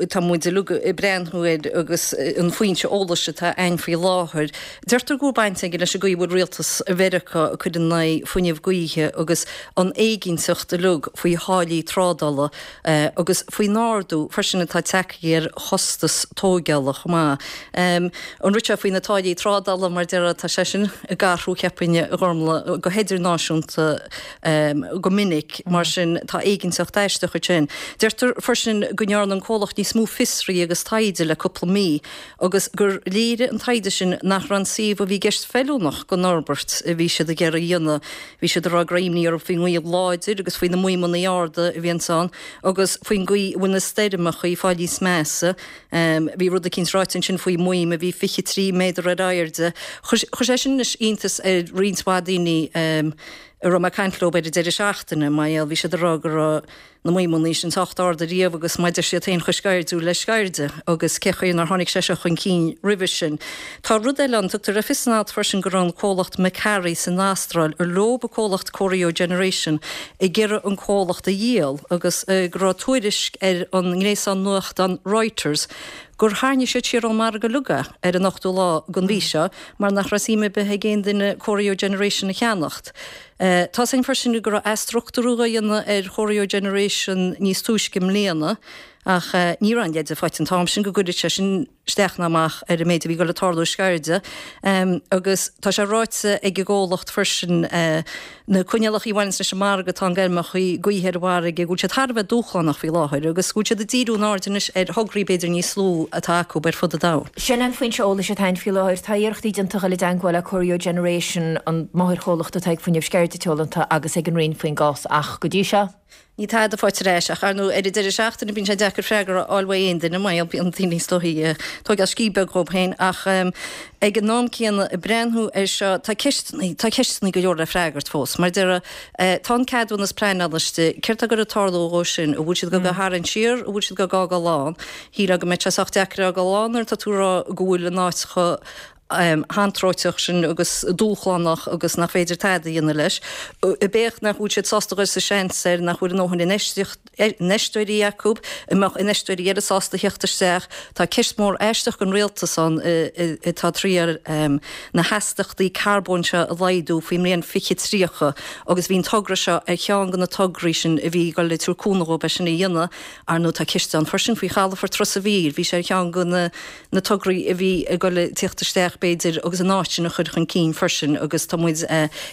Speaker 8: atá muid uilig ag breathnú air agus an foinse eolais atá againn faoi láthair, deirtear go bhfuil baint aige leis an gcaoi a bhfuil rialtas Mheiriceá ag cur in aghaidh fuinneamh gaoithe agus an éiginnteacht uilig faoi tháillí trádála agus faoin ardú freisin atá tagtha ar chostas tóigeála chomh maith. An rud seo faoi na táillí trádála, mar a déarfá, tá sé sin ag athrú, cheapfainn, a Ghormlaith, go hidirnáisiúnta go minic, mar sin tá éiginnteacht aisteach ansin. Deirtear freisin go ndearna an comhlacht níos mó fiosraithe agus taighde le cúpla mí agus gur léirigh an taighde sin nach raibh an suíomh a bhí i gceist feiliúnach don fhorbairt a bhí siad ag iarraidh a dhéanamh. Bhí siad ag rá go raibh imní orthu faoin ngaoth láidir agus faoi na maidhmeanna arda a bhíonns ann agus faoin gcaoi a bhfuil na stoirmeacha ag fáil níos measa. Bhí rud eicínt ráite ansin faoi maidhm a bhí 23 méadar ar airde. Chuir sé sin anois iontas ar roinnt mhaith daoine a raibh mé ag caint leo ar an deireadh seachtaine, mar gheall, bhí siad ag rá go raibh na maidhmeanna sin sách ard ariamh agus mar a deir siad féin chomh sceirdiúil le sceirde agus cén chaoi nár tháinig sé seo chun cinn roimhe sin. Tá rud eile ann, tugtar le fios san alt freisin go raibh an comhlacht McAree san Astráil, ar leo an comhlacht Corio Generation, ag iarraidh an comhlacht a dhíol agus go raibh tuairisc ar an ngréasán nuachtán Reuters gur tharraing siad siar ón margadh uilig é ar an ochtú lá den mhí seo mar nach raibh suim ar bith ag aon duine Corio Generation a cheannacht. Tá 's againn freisin go raibh athstruchtúrú á dhéanamh ar Chorio Generation níos túisce i mbliana ach ní raibh aon leide faighte an t-am sin go gcuirfeadh sé sin isteach ná amach ar an méid a bhí ag dul ag tarlú i Sceirde agus tá sé ráite ag an gcomhlacht freisin na coinníollacha a bhaineanns leis an margadh atá ann d'fheirmeacha gaoithe ar an bhfarraige go bhfuil siad thar a bheith dúshlánach faoi láthair agus go bhfuil siad ag díriú a n-aird anois ar thograí b'fhéidir níos lú atá acu ar fud an domhain.
Speaker 1: Sin an foinse eolais atá againn faoi láthair. Tá iarrachtaí déanta dul i dteagmháil le Corio Generation, an máthairchomhlacht atá ag Fuinneamh Sceirde Teoranta agus ag an Roinn faoin gcás ach go dtí seo,
Speaker 8: Níl tada faighte ar ais ach, ar ndóigh, ar an deireadh seachtaine bíonn sé deacair freagra a fháil uaidh aon duine, mar bíonn daoine is dóichí ag tóigeáil scíth beag dhóibh féin ach ag an am céanna ag breathnú air seo tá ceisteanna, tá ceisteanna go leor le freagairt fós. Mar a déarfá, tá an ceadúnas pleanála istigh, céard tá ag goil ag tarlú dhó sin, an bhfuil siad ag goil á tharraingt siar, an bhfuil siad ag goil á fhágáil ann? Shílfeá go mbeadh sé sách deacair a fhágáil ann nuair atá tú ag rá go bhfuil an áit chomh hantróiteach sin agus dúshlánach agus nach féidir tada a dhéanamh leis. B'fhéidir nach bhfuil siad sásta dhul sa seans air, nach bhfuil a ndóthain infheisteoirí acu, an mbeadh infheisteoirí eile sásta theacht isteach. Tá ceist mhór aisteach don rialtas ann atá ag triail na hastachtaí carbóin seo a laghdú faoin mbliain 2030 agus bhí an togra seo ar cheann de na tograí sin a bhí ag dul ag tabhairt cúnamh dhóibh é sin a dhéanamh. Ar ndóigh tá ceist ann freisin faoi chalafort Ros a' Mhíl, bhí sé ar cheann de na na tograí a bhí ag dul ag tíocht isteach b'fhéidir agus an áit sin a chur chun cinn freisin agus tá muid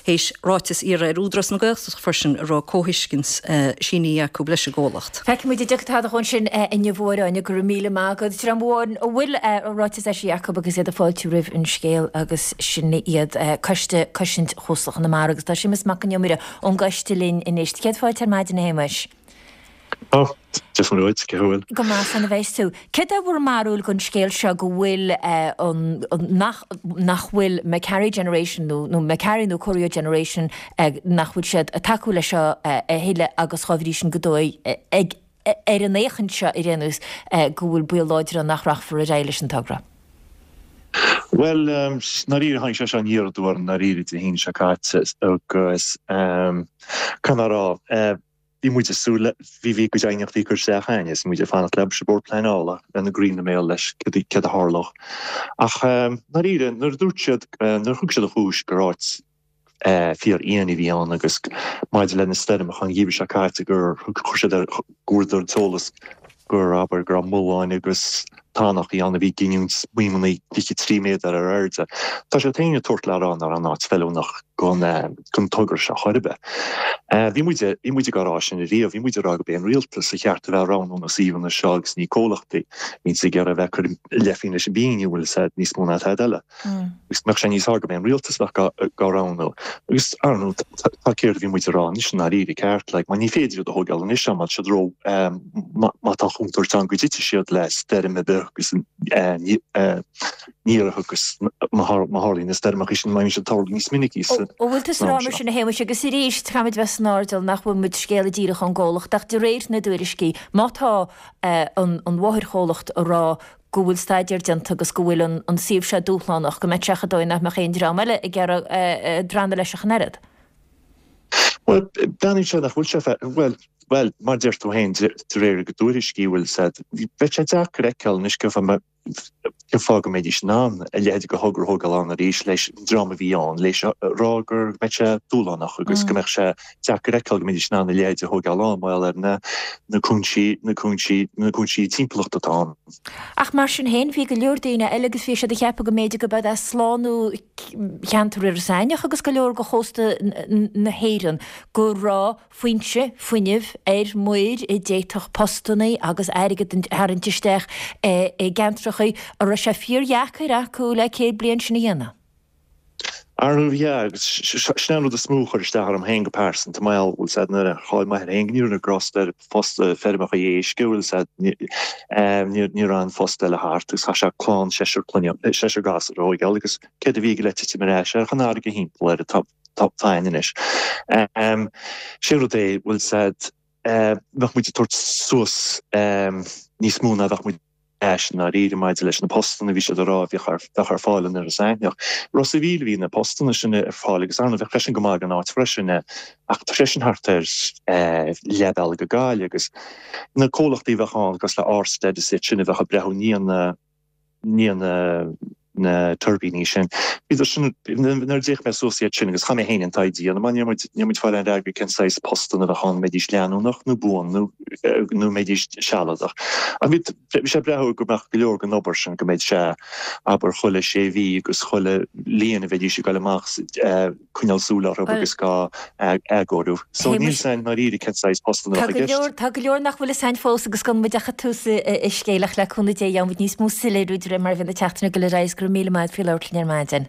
Speaker 8: théis ráiteas a iarraidh ar Údarás na Gaeltachta freisin a raibh comhthuiscint sínithe acu leis an gcomhlacht.
Speaker 1: Feicfidh muid an dtiocfaidh tada dhó sin inniu a Áine, go raibh míle maith agat. Dream amháin a bhfuil ráiteas eisithe acu agus iad ag fáiltiú roimh an scéal agus sin iad Coiste Cosaint Chósta Chonamara agus tá Séamus Mac Con Iomaire ón gcoiste linn anois. Céad fáilte ar maidin a Shéamuis.
Speaker 9: Ó, Dia is Muire dhuit, cén chaoi a bhfuil?
Speaker 1: Go maith, slán a bheas tú. Céard é bhur mbarúil den scéal seo go bhfuil an, nach, nach bhfuil McCarry Generation nó, nó McCarry nó Corio Generation, nach bhfuil siad ag tacú leis seo a thuilleadh agus dhá bhrí sin go dóigh ag, ar an fhéachaint seo ar aon nós, go bhfuil baol láidir ann nach rachfar ar aghaidh leis an togra?
Speaker 9: Bhuel, ndáiríre, tháinig sé seo aniar aduaidh orainn ndáiríre Dé hAoine seo caite agus, caithfidh mé a rá, Bhí muid ag súil le, bhí, bhí cuid aighneachtaí curtha isteach againn is muid ag fanacht le an Bord Pleanála lena gcroí ina mbéal leis céard a tharlódh. Ach ndáiríre, nuair a dúirt siad, nuair a thug siad an chúis gur áit fíor-fhiáin a bhí ann agus maidir le na stoirmeacha an gheimhreadh seo caite gur chuir siad ar, go bhfuaireadar an t-eolas gur, abair, go raibh mulláin agus tanachaí ann a bhí ag giniúint maidhmeanna 23 méadar ar airde. Tá siad féin ag tabhairt le rá nach raibh an áit feiliúnach don togra seo chor ar bith. Bhí muid, bhí muid ag rá sin ariamh, bhí muid ag rá gurb é an rialtas a cheart a bheith ag roghnú na suíomhanna seo agus ní comhlachtaí. Bíonn siad ag iarraidh a bheith ag cur a leith féin leis an bpingin, bhfuil a fhios agat, níos mó ná tada eile. Agus mbeadh sé níos fearr gurb é an rialtas a bheadh á roghnú. Agus, ar ndóigh, tá céard a bhí muid a rá anois i ndáiríre ceart, like, mar ní féidir iad a thógáil anois má tá siad ró, má tá contúirt ann go dtitfidh siad le stoirm ar bith. agus ní agus má tharlaíonn na stoirmeacha sin, má bhíonn siad ag tarlú níos minicí san
Speaker 1: An bhfuil tusa ag rá
Speaker 9: am
Speaker 1: mar
Speaker 9: seo.
Speaker 1: sin a Shéamais agus arís caithfimid bheith san airdeall nach bhfuil muid scéala díreach ón gcomhlacht ach de réir na dtuairiscí má tá an mháthairchomhlacht ag rá go bhfuil staidéar déanta agus go bhfuil an suíomh seo dúshlánach, go mbeadh sé chomh dóigh nach mbeadh aon dream eile ag iarraidh drannadh leis ach an oiread.
Speaker 9: Bhuel, breathnaíonn sé nach bhfuil sé, bhuel, bhuel, mar a deir tú féin, de réir a dtuairiscí, bhfuil a fhios agat, bheadh sé deacair a fheiceáil anois cén fáth, cén fáth go mbeidís in ann a leithéid de thogra a thógáil ann arís leis an dream a bhí ann, leis a rá go mbeadh sé dúshlánach agus go mbeadh sé deacair a fheiceáil go mbeidís in ann a leithéid a thógáil ann mar gheall ar na, na cúinsí, na cúinsí, na cúinsí timpeallachta atá ann.
Speaker 1: Ach mar sin féin, bhí go leor daoine eile agus bhí siad ag ceapadh go mb'fhéidir go b'ead é slánú cheantar Iorras Aithneach agus go leor de chósta na hÉireann, go raibh foinse fuinnimh ar muir a d'fhéadfadh postannaí agus airgead a tharraingt isteach i gceantracha a raibh sé fíordheacair acu le 100 bliain sin a dhéanamh.
Speaker 9: Arú, yeah, agus sin é an rud is mó a chuir isteach orm féin go pearsanta, mar gheall, bhfuil a fhios agat, nuair a chaill m'athair féin go ndearna grásta ar phost feirmeacha éisc, bhfuil a fhios agat, ní raibh aon phost eile thart agus chaith sé clann seisear clainne, seisear gasúr a thóigeáil agus céard a bhí aige le titim ar ais air ach an fharraige thimpeall air atá againn anois. Sé an rud é, bhfuil a fhios agat, bheadh muid ag tabhairt suas níos mó ná bheadh muid. ais i ndáiríre maidir leis na postanna a bhí siad a rá a bheadh ar fáil in Iorras Aithneach. Ros a' Mhíl a bhí na postanna sin ar fáil agus ar ndóigh bheadh sé sin go maith don áit freisin ach tá sé sin thart ar leath bealaigh go Gaillimh agus na comhlachtaí a bheadh ann cosúil le Ørsted is iad sin a bheadh ag breathnú i ndiaidh na ndiaidh na na tuirbíní sin. Bhíodar sin, nuair a d'fhéach mé suas iad sin, agus chaith mé féin an taighde a dhéanamh, mar níor muid, níor muid fáil aon fhreagra cén saghas postanna a bheadh ann, an mbeidís leanúnach nó buan nó, nó an mbeidís sealadach. Ach bhí, bhí sé ag breathnú go mbeadh go leor den obair sin, go mbeidh sé, abair, chuile sé mhí agus chuile bhliain a bheidís ag dul amach coinneáil súil orthu agus á athchóiriú. So níl 'fhios a'inn i ndáiríre cén saghas postanna a
Speaker 1: Tá
Speaker 9: bheadh
Speaker 1: go
Speaker 9: i gceist.
Speaker 1: leor, tá go leor nach bhfuil 'fhios a'inn fós agus gan muid ach ag tús an scéil ach le cúnamh Dé gheobhaidh muid níos mó soiléiriú de réir mar a bhíonn an tseachtain ag dul ar aghaidh is go raibh míle maith agat faoi labhairt linn ar maidin.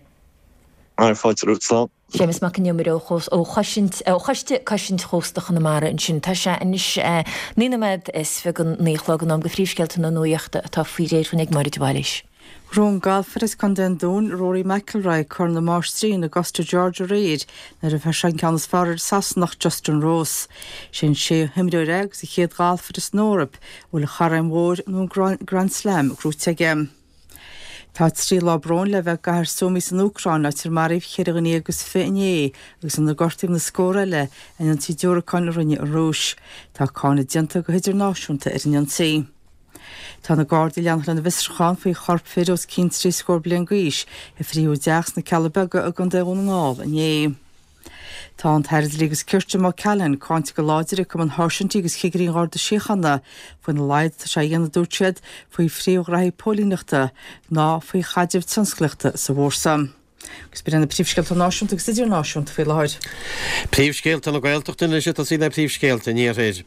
Speaker 9: Ar fáilte romhat, slán.
Speaker 1: Séamus Mac an Iomaire ó ó Chosaint, ó Choiste Cosaint Chósta Chonamara ansin. Tá sé anois 9 nóiméad is 29 a chlog in am do phríomhscéalta na nuachta atá faoi réir dhúinn ag Máire de Bhailís.
Speaker 2: Bhuaigh an galfaire as Contae an Dúin, Rory McIlroy, Corn na Máistrí in Augusta, Georgia aréir nuair a fuair sé an ceann is fearr ar an Sasanach Justin Rose. Sé an séú himreoir é agus an chéad ghalfaire san Eoraip a bhfuil an Chorn Mhór nó an Grand Slam gnóite aige. Tá 3 lá bróin le bheith i gcathair Sumy san Úcráin, áit ar maraíodh cheithre dhuine agus 20 inné agus inar gortaíodh na scórtha eile in ionsaí diúracáin a rinne an Rúis. Tá cáineadh déanta go hidirnáisiúnta ar an ionsaí. Tá na Gardaí ag leanacht lena bhfiosrúchán faoi chorp fir os cionn trí scór bliain d'aois a frítheadh i dteach sna Cealla Beaga i gContae Dhún na nGall inné. Tá an tAire Dlí agus Cirt Jim O'Callaghan cáinte go láidir ag Cumann Sháirsintí agus Chigirí an Gharda Síochána faoina laghad atá sé a dhéanamh, a dúirt siad, faoi phríomhghraithí póilíneachta ná faoi chaidreamh tionsclaíochta sa bhfórsa. Agus b'in iad na príomhscéalta náisiúnta agus idirnáisiúnta faoi láthair.
Speaker 3: Príomhscéalta na Gaeltachta anois ag tosaí le príomhscéalta an Iarthair.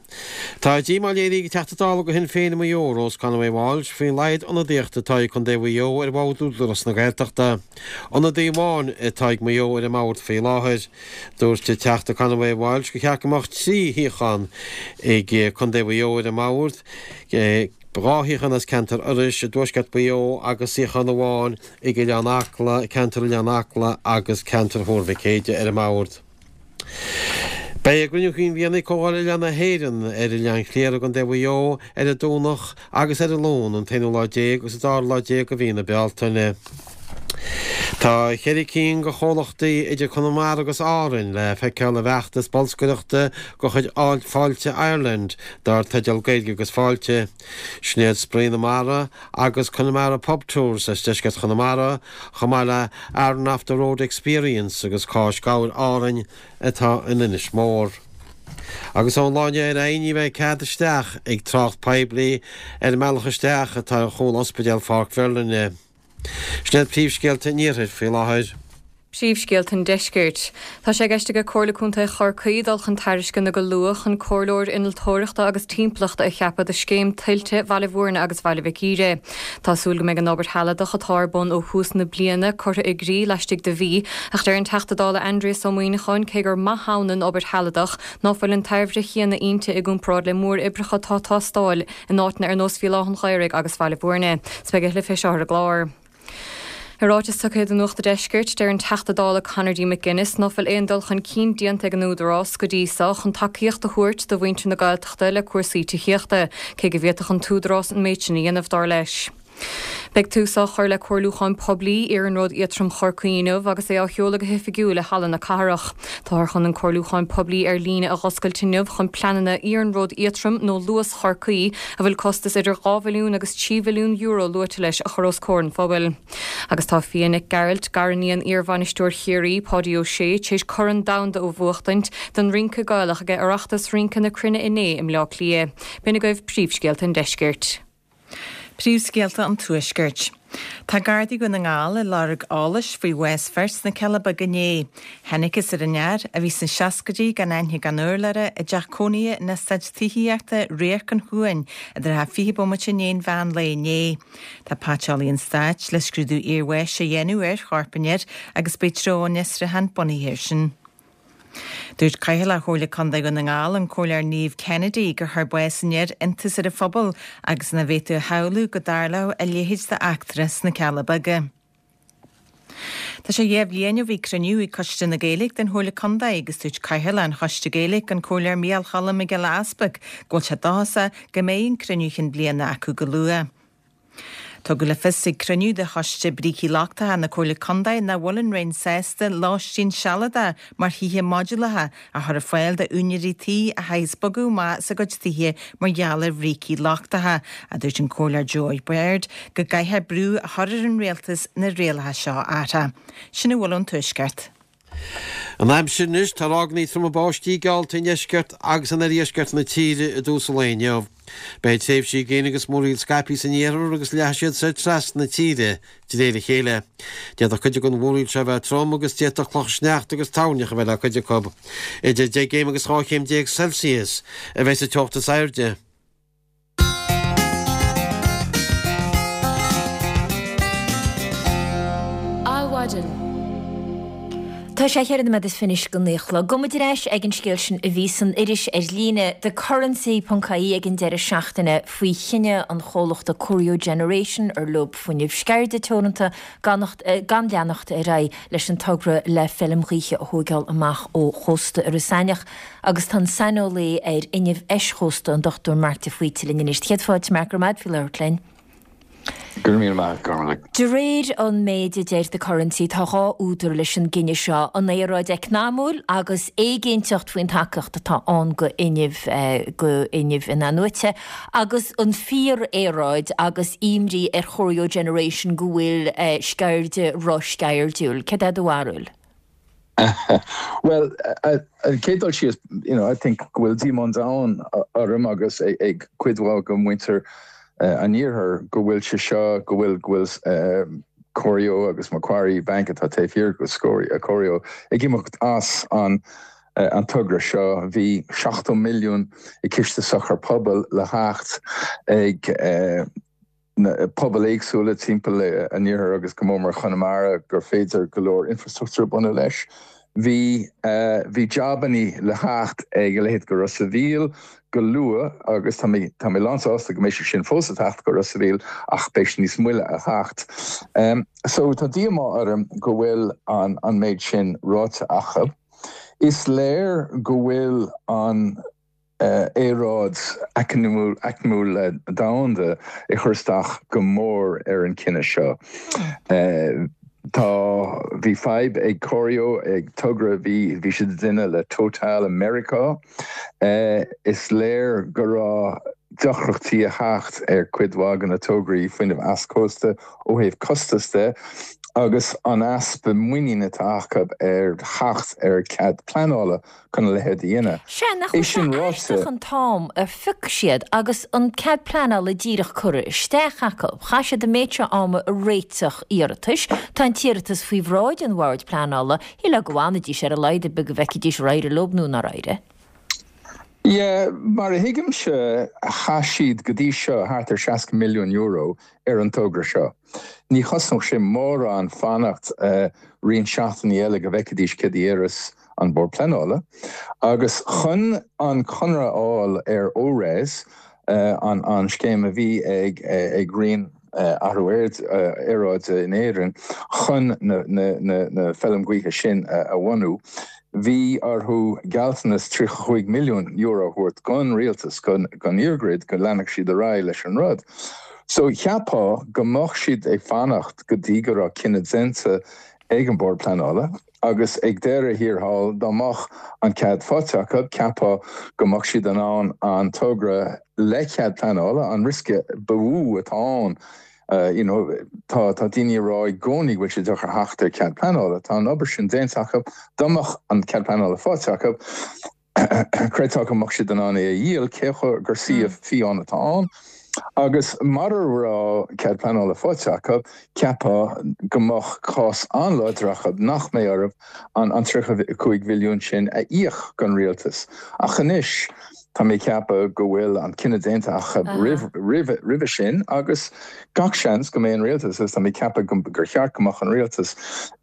Speaker 3: Tá díomá léirithe ag an Teachta Dála do Shinn Féin i Maigh Eo, Rose Conway Walsh, faoin laghad ionadaíochta atá ag Contae Mhaigh Eo ar bhord Údarás na Gaeltachta. Ionadaí amháin atá ag Maigh Eo ar an mbord faoi láthair. Dúirt an Teachta Conway Walsh gur cheart go mbeadh 3 shuíochán ag Contae Mhaigh Eo ar an mbord, 2 shuíochán as ceantar Iorrais i dtuaisceart Mhaigh Eo agus suíochán amháin ag Oileán Acla, ceantar Oileán Acla agus ceantar Thuar Mhic Éide ar an mbord. Beidh a gcruinniú cinn bhliana ag Comhdháil Oileáin na hÉireann ar Oileán Chliara i gContae Mhaigh Eo ar an Domhnach agus ar an Luan, an t-aonú lá déag agus an dara lá déag de mhí na Bealtaine. Tá cheithre cinn de chomhlachtaí idir Conamara agus Árainn le feiceáil i bhfeachtas bolscaireachta de chuid Fáilte Ireland dar teideal Gaeilge agus Fáilte. Sin iad Spraoi na Mara, agus Connemara Pub Tours as deisceart Chonamara, chomh maith le Aran Off the Road Experience agus Cáis Gabhair Árainn atá in Inis Mór. Agus ón lá inniu ar aghaidh ní bheidh cead isteach ag trácht poiblí ar an mbealach isteach atá ar chúl Ospidéal Pháirc Mherlyn. Sin iad príomhscéalta an Iarthair faoi láthair.
Speaker 4: Príomhscéalta an Deiscirt. Tá sé i gceist ag Comhairle Contae Chorcaí dul chun tairisceana go luath chun comhairleoir innealtóireachta agus timpeallachta a cheapadh do scéim tuilte Bhaile Bhúirne agus Bhaile Mhic Íre. Tá súil go mbeidh an obair shealadach atá ar bun ó thús na bliana curtha i gcrích laistigh de mhí, ach deir an Teachta Dála Aindrias Ó Muíneacháin cé gur maith ann an obair shealadach ná fuil an tairbhe chéanna inti i gcomparáid le móroibreacha atá ag teastáil in áiteanna ar nós Bhéal Átha an Ghaorthaidh agus Bhaile Bhúirne. 'S beidh a thuilleadh fé seo ar an gclár. I ráiteas tugtha do Nuacht a' Deiscirt, deir an Teachta Dála Conor D. McGuinness ná fuil aon dul chun cinn déanta ag an Údarás go dtí so chun tacaíocht a thabhairt do mhuintir na Gaeltachta le cúrsaí tithíochta, cé go bhféadfadh an tÚdarás an méid sin a dhéanamh, dar leis. Beidh tús á chur le comhairliúchán poiblí Iarnród Éadtrom Chorcaí inniu agus é á sheoladh go hoifigiúil i Halla na Cathrach. Táthar chun an comhairliúchán poiblí ar líne a dh'oscailt inniu chun pleananna Iarnród Éadtrom nó Luas Chorcaí, a bhfuil costas idir €2 bhilliún agus €3 bhilliún luaite leis, a chur os comhair an phobail. Agus tá Fia Nic Gearailt, gariníon iar-bhainisteoir Chiarraí, Páidí Ó Sé, tar éis Corn Domhanda a bhuachtaint don rince Gaelach ag Oireachtas Rince na Cruinne inné i mBleá Cliath. B'in agaibh príomhscéalta an deiscirt.
Speaker 5: Príomhscéalta an Tuaiscirt. Tá Gardaí Dhún na nGall ag lorg eolais faoi bhás fir sna Cealla Beaga inné. Thángthas ar an fhear, a bhí sna seascaidí, gan aithne gan urlabhra, i dteach cónaithe in eastát tithíochta Radharc an Chuain i dtrátha 20 bomaite i ndiaidh an mheán lae inné. Tá Paiteolaí an Stáit le scrúdú iarbháis a dhéanamh ar chorp an fhir agus beidh treo an fhiosrúcháin bunaithe air sin. Dúirt Cathaoirleach Chomhairle Contae Dhún na nGall, an Comhairleoir Niamh Kennedy, gur chuir bás an fhir iontas ar an phobal agus nach bhféadfaí a shamhlú go dtarlódh a leithéid d'eachtra sna Cealla Beaga. Tá sé dhéa bhliain ó bhí cruinniú ag Coiste na Gaeilge den Chomhairle Contae agus dúirt Cathaoirleach an Choiste Gaeilge, an Comhairleoir Micheál Cholm Mac Giolla Easpaig, go bhfuil sé dóchasach go mbeidh an cruinniú chinn bliana acu go luath. Tugadh le fios ag cruinniú de Choiste Brící Lochtacha na Comhairle Contae nach bhfuil an Roinn sásta lóistín sealadach mar thithe modúlacha a chur ar fáil d'úinéirí tí a chaithfeas bogadh amach as a gcuid tithe mar gheall ar bhrící lochtacha, a dúirt an Comhairleoir Joe Baird go gcaithfear brú a chur ar an Rialtas na rialacha seo a athrú. Sin a bhfuil ón Tuaisceart.
Speaker 3: An aimsir anois, tá ráigeanna troma báistí geallta i ndeisceart agus in oirdheisceart na tíre i dtús an lae inniu. Beidh tréimhsí gréine agus múraíl scaipthe san iarthar agus leathfaidh siad soir trasna na tíre de réir a chéile. D'fhéadfadh cuid den mhúraíl seo a bheith trom agus d'fhéadfadh clocha sneachta agus toirneach a bheith le cuid acu. Idir 10 gcéim agus 12 chéim Celsius a bheidh sa teocht is airde.
Speaker 1: Adhmhaidin. Tá sé cheithre nóiméad is fiche anois go naoi a chlog. Gabhfaidh muid ar ais ag an scéal sin a bhí san iris ar líne, The Currency ponc ie ag an deireadh seachtaine faoi chinneadh an chomhlachta Corio Generation ar Lúb Fuinnimh Sceirde Teoranta gan leanacht ar aghaidh leis an togra le feilm ghaoithe a thóigeáil amach ó chósta Iorras Aithneach. Agus tá an saineolaí ar fhuinneamh eischósta, an Dr Mark de Faoite linn anois. Céad fáilte, Mark, go raibh maith agat faoi labhairt linn.
Speaker 10: Go raibh míle maith agat, Gormlaith.
Speaker 1: De réir an méid a deir The Currency, tá dhá údar leis an gcinneadh seo, an aeráid eacnamúil agus éiginnteacht faoin tacaíocht atá ann go fhuinneamh, go fhuinneamh in-athnuaite, agus an fíor-aeráid agus imní ar Chorio Generation go bhfuil Sceirde ro-sceirdiúil. Céard é do bharúil?
Speaker 10: Bhuel, an chéad dul síos, you know, I think go bhfuil díomá an domhain orm agus ag cuid mhaith de mhuintir an iarthair go bhfuil sé seo, go bhfuil, go bhfuil Corio agus Macquarie Bank atá taobh thiar de Corio ag imeacht as an an togra seo. Bhí 70 milliún i gCiste Sochar Pobail le theacht ag na pobail éagsúla timpeall an iarthair agus go mór mór Chonamara gur féidir go leor infrastruchtúr a bhunú leis. Bhí bhí jabannaí le theacht ag a leithéid go Ros a' Mhíl go luath agus tá mé tá mé lánsásta go mbeidh sé sin fós ag teacht go Ros a' Mhíl ach beidh sé níos moille a theacht. So tá díomá orm go bhfuil an an méid sin ráite acu. Is léir go bhfuil an aeráid eacnamúil domhanda ag cur isteach go mór ar an cinneadh seo. Tá, bhí fadhb ag Corio, ag togra bhí, bhí siad ag déanamh le Total i Meiriceá. Is léir go raibh deacrachtaí ag theacht ar cuid mhaith de na tograí fuinnimh easchósta ó thaobh costas de. agus an easpa muinín atá acu ar theacht ar cead pleanála chun a leithéid a dhéanamh.
Speaker 1: Sea, nach bhfuil
Speaker 10: É sin
Speaker 1: sé
Speaker 10: ráite.
Speaker 1: aisteach an t-am a phioc siad agus an cead pleanála díreach curtha isteach acu. Chaith siad an méid seo ama ag réiteach iarratais. Tá an t-iarratas faoi bhráid an Bhoird Pleanála. Shílfeá go bhfanfaidís ar a laghad ar bith go bhfeicfidís ar éirigh leo nó nár éirigh.
Speaker 10: Yeah, mar a thuigimse, chaith siad go dtí seo thart ar €60 milliún ar an togra seo. Ní chosnódh sé mórán fanacht roinnt seachtainí eile go bhfeicfidís céard a déarfas an Bord Pleanála. Agus chun an conradh a fháil ar ORES, an scéim a bhí ag Roinn Athrú Aeráide in Éirinn chun na feilm gaoithe sin a bhunú, bhí orthu gealltanas €35 milliún a thabhairt don rialtas, don EirGrid, go leanfadh siad ar aghaidh leis an rud. So cheapfá go mbeadh siad ag fanacht go dtí go raibh cinneadh déanta ag an Bord Pleanála agus ag deireadh thiar thall dá mbeadh an cead faighte acu, cheapfá go mbeadh siad in ann an togra le cead pleanála, an riosca ba mhó atá ann, you know, tá tá daoine ag rá i gcónaí go bhfuil sé deacair theacht ar cead pleanála, tá an obair sin déanta acu, dá mbeadh an cead pleanála faighte acu, Chreidfeá go mbeadh siad in ann é a dhíol, cé gur suíomh fiáin atá ann. Agus mara raibh cead pleanála faighte acu, cheapfá go mbeadh cás an-láidir acu nach mbeadh orthu an 35 mhilliún sin a íoc don rialtas. Ach anois, tá mé ag ceapadh go bhfuil an cinneadh déanta acu roimhe sin agus gach seans go mbeidh an rialtas, agus tá mé ag ceapadh gur cheart go mbeadh an rialtas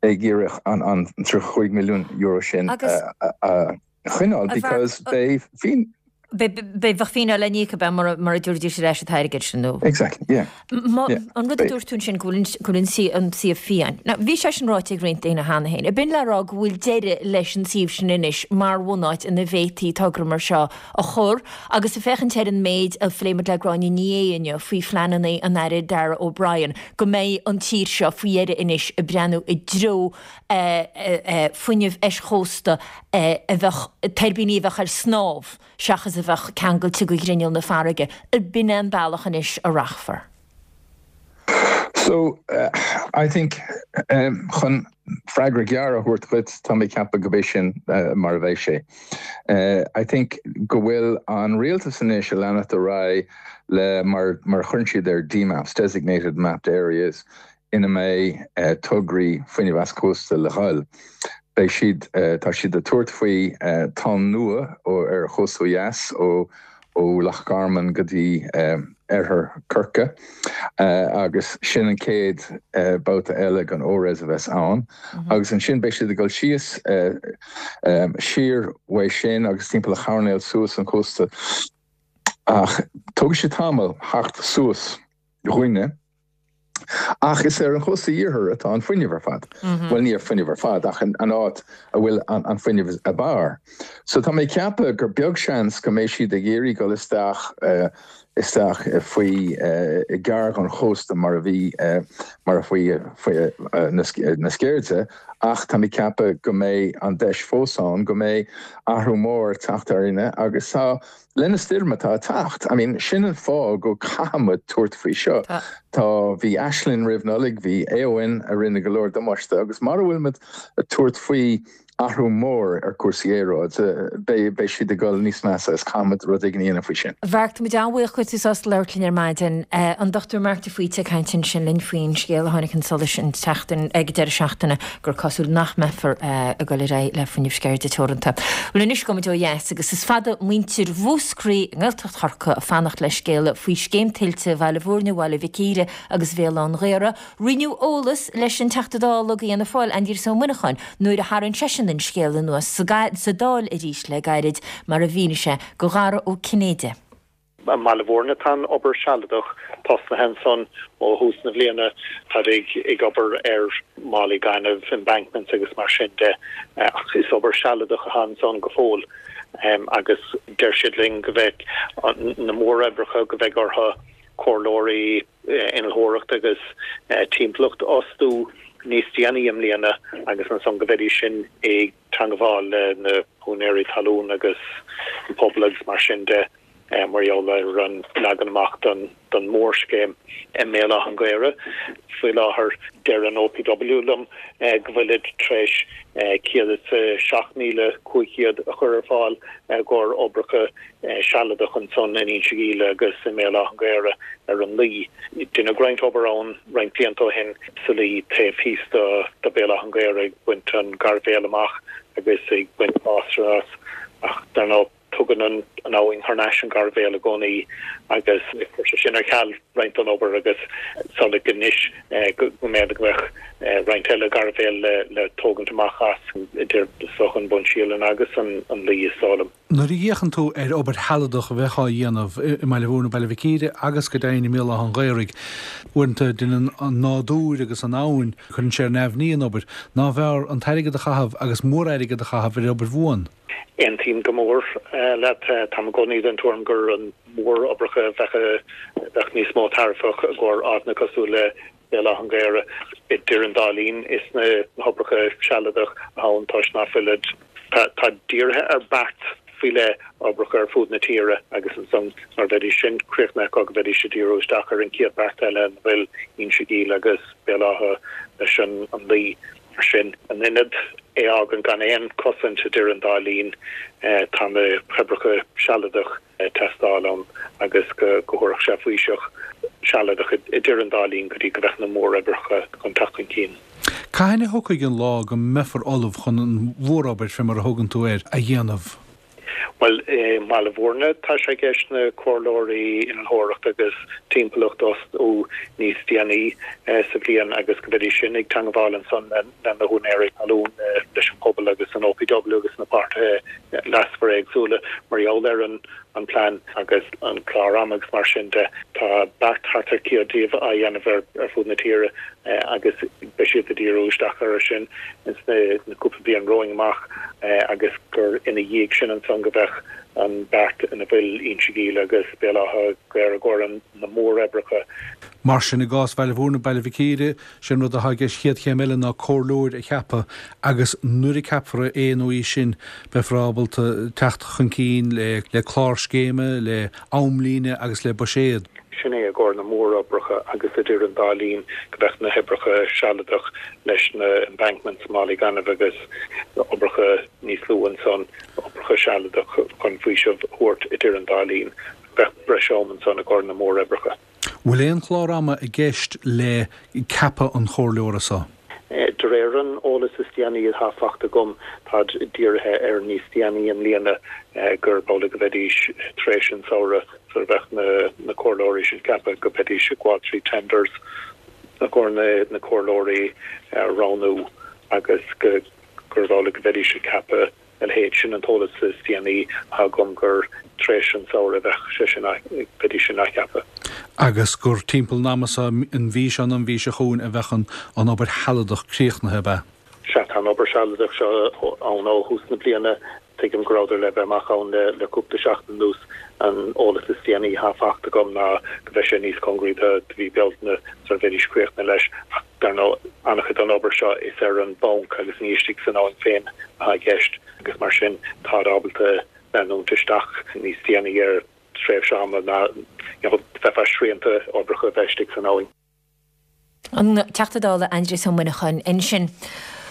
Speaker 10: ag iarraidh an €35 milliún sin a choinneáil because beidh
Speaker 1: fíneáil. Beidh fíneáil le n-íoc ab ea mura dtabharfaidís ar ais an t-airgead sin nó.
Speaker 10: Exactly, yeah.
Speaker 1: An rud a dúirt tú ansin go bhfuil an suíomh fiáin. Now bhí sé sin ráite ag roinnt daoine cheana féin. Ab in le rá go bhfuil deireadh leis an suíomh sin anois mar bhunáit ina bhféadfaí togra mar seo a chur agus ag féachaint ar an méid a phléigh muid le Gráinne Ní Aodha inniu faoi phleananna an Aire Darragh O'Brien go mbeidh an tír seo faoi dheireadh anois ag breathnú i dtreo fuinneamh eischósta a bheadh, tuirbíní a bheadh ar snámh seachas a bheadh ceangailte go ghrinneall na farraige. B'in é an bealach anois a rachfar.
Speaker 10: So, I think, chun freagra gearr a thabhairt dhuit, tá mé ag ceapadh go b'é sin mar a bheidh sé. I think go bhfuil an rialtas anois ag leanacht ar aghaidh le mar mar a chuireann siad air DMAPs, Designated Mapped Areas, ina mbeidh tograí fuinnimh easchósta le dhul. Beidh siad, tá siad ag tabhairt faoi tonn nua ar an chósta ó dheas, ó Loch Garman go dtí oirthear Chorcaí, agus sin an chéad babhta eile den ORES a bheas ann. Agus ansin beidh siad ag dul síos siar uaidh sin agus timpeall an choirnéil suas an cósta. Ach tógfaidh sé tamall theacht suas chugainne. Ach is ar an chósta iarthair atá an fuinneamh ar fad. Bhuel, ní an fuinneamh ar fad, ach an áit a bhfuil an fuinneamh ab fhearr. So tá mé ag ceapadh gur beag seans go mbeidh siad ag iarraidh dul isteach isteach faoi gar don chósta mar a bhí mar a faoi faoi na Sceirde, ach tá mé ag ceapadh go mbeidh an deis fós ann go mbeidh athrú mór ag teacht orainne agus tá Le na stoirm atá ag teacht, I mean, sin an fáth go caithfidh muid tabhairt faoi seo. Tá, bhí Ashling roimh Nollaig, bhí Éowyn a rinne go leor damáiste agus mara bhfuil muid ag tabhairt faoi athrú mór ar cúrsaí aeráide, beidh, beidh siad ag dul níos measa agus caithfidh muid rud éigin a dhéanamh faoi sin.
Speaker 1: Mharc, tá muid an-bhuíoch go bhfuil tú sásta labhairt linn ar maidin. An Dr Marc de Faoite ag caint ansin linn faoin scéal a tháinig chun solais an tseachtain, ag deireadh seachtaine, gur cosúil nach mbeifear ag dul ar aghaidh le Fuinneamh Sceirde Teoranta. Bhuel anois gabhfaidh muid ó dheas agus is fada muintir Mhúscraí i nGaeltacht Chorcaí ag fanacht le scéala faoi scéim tuilte Bhaile Bhúirne, Bhaile Mhic Íre agus Bhéal Átha an Ghaorthaidh. Roinneadh eolas leis an Teachta Dála do Fhianna Fáil, Aindrias Ó Muineacháin, nuair a tharraing seisean an scéal anuas sa Dáil arís le gairid, mar a mhínigh sé do Dhara Ó Cinnéide.
Speaker 11: I mBaile Bhúirne tá an obair sealadach tosnaithe ansan ó thús na bliana. Táid ag obair ar málaí gainimh, embankments agus mar sin de ach is obair sealadach atá ansan go fóill agus deir siad linn go mbeidh na móroibreacha go mbeidh orthu comhairleoirí innealtóireachta agus timpeallacht a fhostú níos déanaí i mbliana agus ansan go mbeidís sin ag teangabháil le na húinéirí talún agus an pobal agus mar sin de. mar gheall ar an leagan amach don mhórscéim i mBéal Átha an Ghaorthaidh. Faoi láthair, deir an OPW liom go bhfuilid tar éis 107,500 a chur ar fáil i gcomhair oibreacha sealadach ansan in Inse Ghíle agus i mBéal Átha an Ghaorthaidh ar an Laoi. Deineadh roinnt obair ann roinnt blianta ó shin sa Laoi taobh thíos de Béal Átha an Ghaorthaidh ag baint an gairbhéal amach agus ag baint fásra as ach dar ndóigh Tugann an abhainn thar n-ais an gairbhéal i gcónaí agus chuir sé sin ar ceal roinnt den obair agus is amhlaidh anois go mb'fhéidir go mbeadh roinnt eile gairbhéal le tógaint amach as idir is dócha an Bun Sialann agus an Laoi is dóigh liom.
Speaker 12: Nuair a fhéachann tú ar obair shealadach a bheith á dhéanamh i mBaile Mhúirne, Baile Mhic Íre agus go deimhin i mBéal Átha an Ghaorthaidh, uaireanta déanann an nádúr agus an abhainn, cuireann sé ar neamhní an obair. Nárbh fhearr an t-airgead a chaitheamh agus mór-airgead a chaitheamh ar obair bhuan?
Speaker 11: Aontaím go mór leat. Táim i gcónaí den tuairim gur an mhóroibreacha a bheadh níos mó tairbheach i gcomhair áiteanna cosúil le Béal Átha an Ghaorthaidh. Idir an dá linn, is na hoibreacha sealadach atá ann toisc ná fuilid. Tá dírithe ar beart faoi leith oibreacha ar fud na tíre agus ansan nuair a bheidís sin críochnaithe acu go mbeidís ag díriú isteach ar an chéad beart eile ina bhfuil Inse Gíle agus Béal Átha leis an Laoi. Mar sin, in ionad é a fhágaint gan aon chosaint idir an dá linn, tá na hoibreacha sealadach ag teastáil ann agus go dtabharfadh sé faoiseamh sealadach idir an dá linn go dtí go mbeadh na móroibreacha chun teacht chun cinn.
Speaker 12: Cathain a thiocfaidh an lá go mbeifear ullamh chun an mhórobair, fé mar a thugann tú air, a dhéanamh?
Speaker 11: Bhuel, i mBaile Bhúirne tá sé i gceist na comhairleoirí innealtóireachta agus timpeallachta a fhostú níos déanaí sa bhliain agus go mbeidís sin ag teangmháil ansan le na húinéirí talún, leis an pobal agus an OPW agus na páirtithe leasmhara éagsúla mar gheall ar an an plean agus an clár ama agus mar sin de. Tá beart thart ar 100 díobh á dhéanamh ar fud na tíre agus beidh siad ag díriú isteach orthu sin ins na cúpla bliain romhainn amach agus gur ina dhiaidh sin ansan go mbeadh an beart ina bhfuil Inse Gíle agus Béal Átha Ghaorthaidh i gcomhair na móroibreacha.
Speaker 12: Mar sin, i gcás Bhaile Bhúirne, Baile Mhic Íre, sé an rud atá i gceist chéad chéim eile ná comhairleoir a cheapadh agus nuair a ceapfar é nó í sin beifear ábalta teacht chun cinn le clár scéime, le amlíne agus le buiséad.
Speaker 11: Sin é i gcomhair na móroibreacha agus idir an dá linn go mbeadh na hoibreacha sealadach leis na embankments, málaí gainimh agus oibreacha níos lú ansan, oibreacha sealadach chun faoiseamh a thabhairt idir an dá linn. Bheadh breis am ansan i gcomhair na móroibreacha.
Speaker 12: Bhfuil aon chlár ama i gceist le ceapadh an chomhairleora so?
Speaker 11: De réir an eolais is déanaí atá fachta agam, táid dírithe ar níos déanaí i mbliana gurb amhlaidh go mbeidís tar éis an samhradh sula mbeadh na comhairleoirí sin ceaptha, go mbeidís ag gabháil trí tenders i gcomhair na comhairleoirí a roghnú agus gurb amhlaidh go mbeidís ag ceapadh a leithéid. Sin an t-eolas is déanaí atá agam gur tar éis an samhradh a bheadh sé sin, bheidís sin á cheapadh.
Speaker 12: Agus gur timpeall an ama seo, an mhí seo nó an mhí seo chugainn, a bheadh an obair shealadach críochnaithe, ab ea?
Speaker 11: Sea, tá an obair shealadach seo ann ó thús na bliana. Tuigim go rabhadar le bheith amach ann le cúpla seachtain anuas. An eolas is déanaí atá fachta agam ná go mbeidh sé níos cóngaraí do mhí Bealtaine sula mbeidís críochnaithe leis. Ach dar ndóigh, an-chuid den obair seo is ar an bponc agus ní istigh san abhainn féin atá i gceist agus mar sin táid ábalta leanúint isteach níos déanaí ar tréimhse ama ná bheifeá srianta oibreacha a bheith istigh san abhainn.
Speaker 1: An Teachta Dála Aindrias Ó Muineacháin ansin.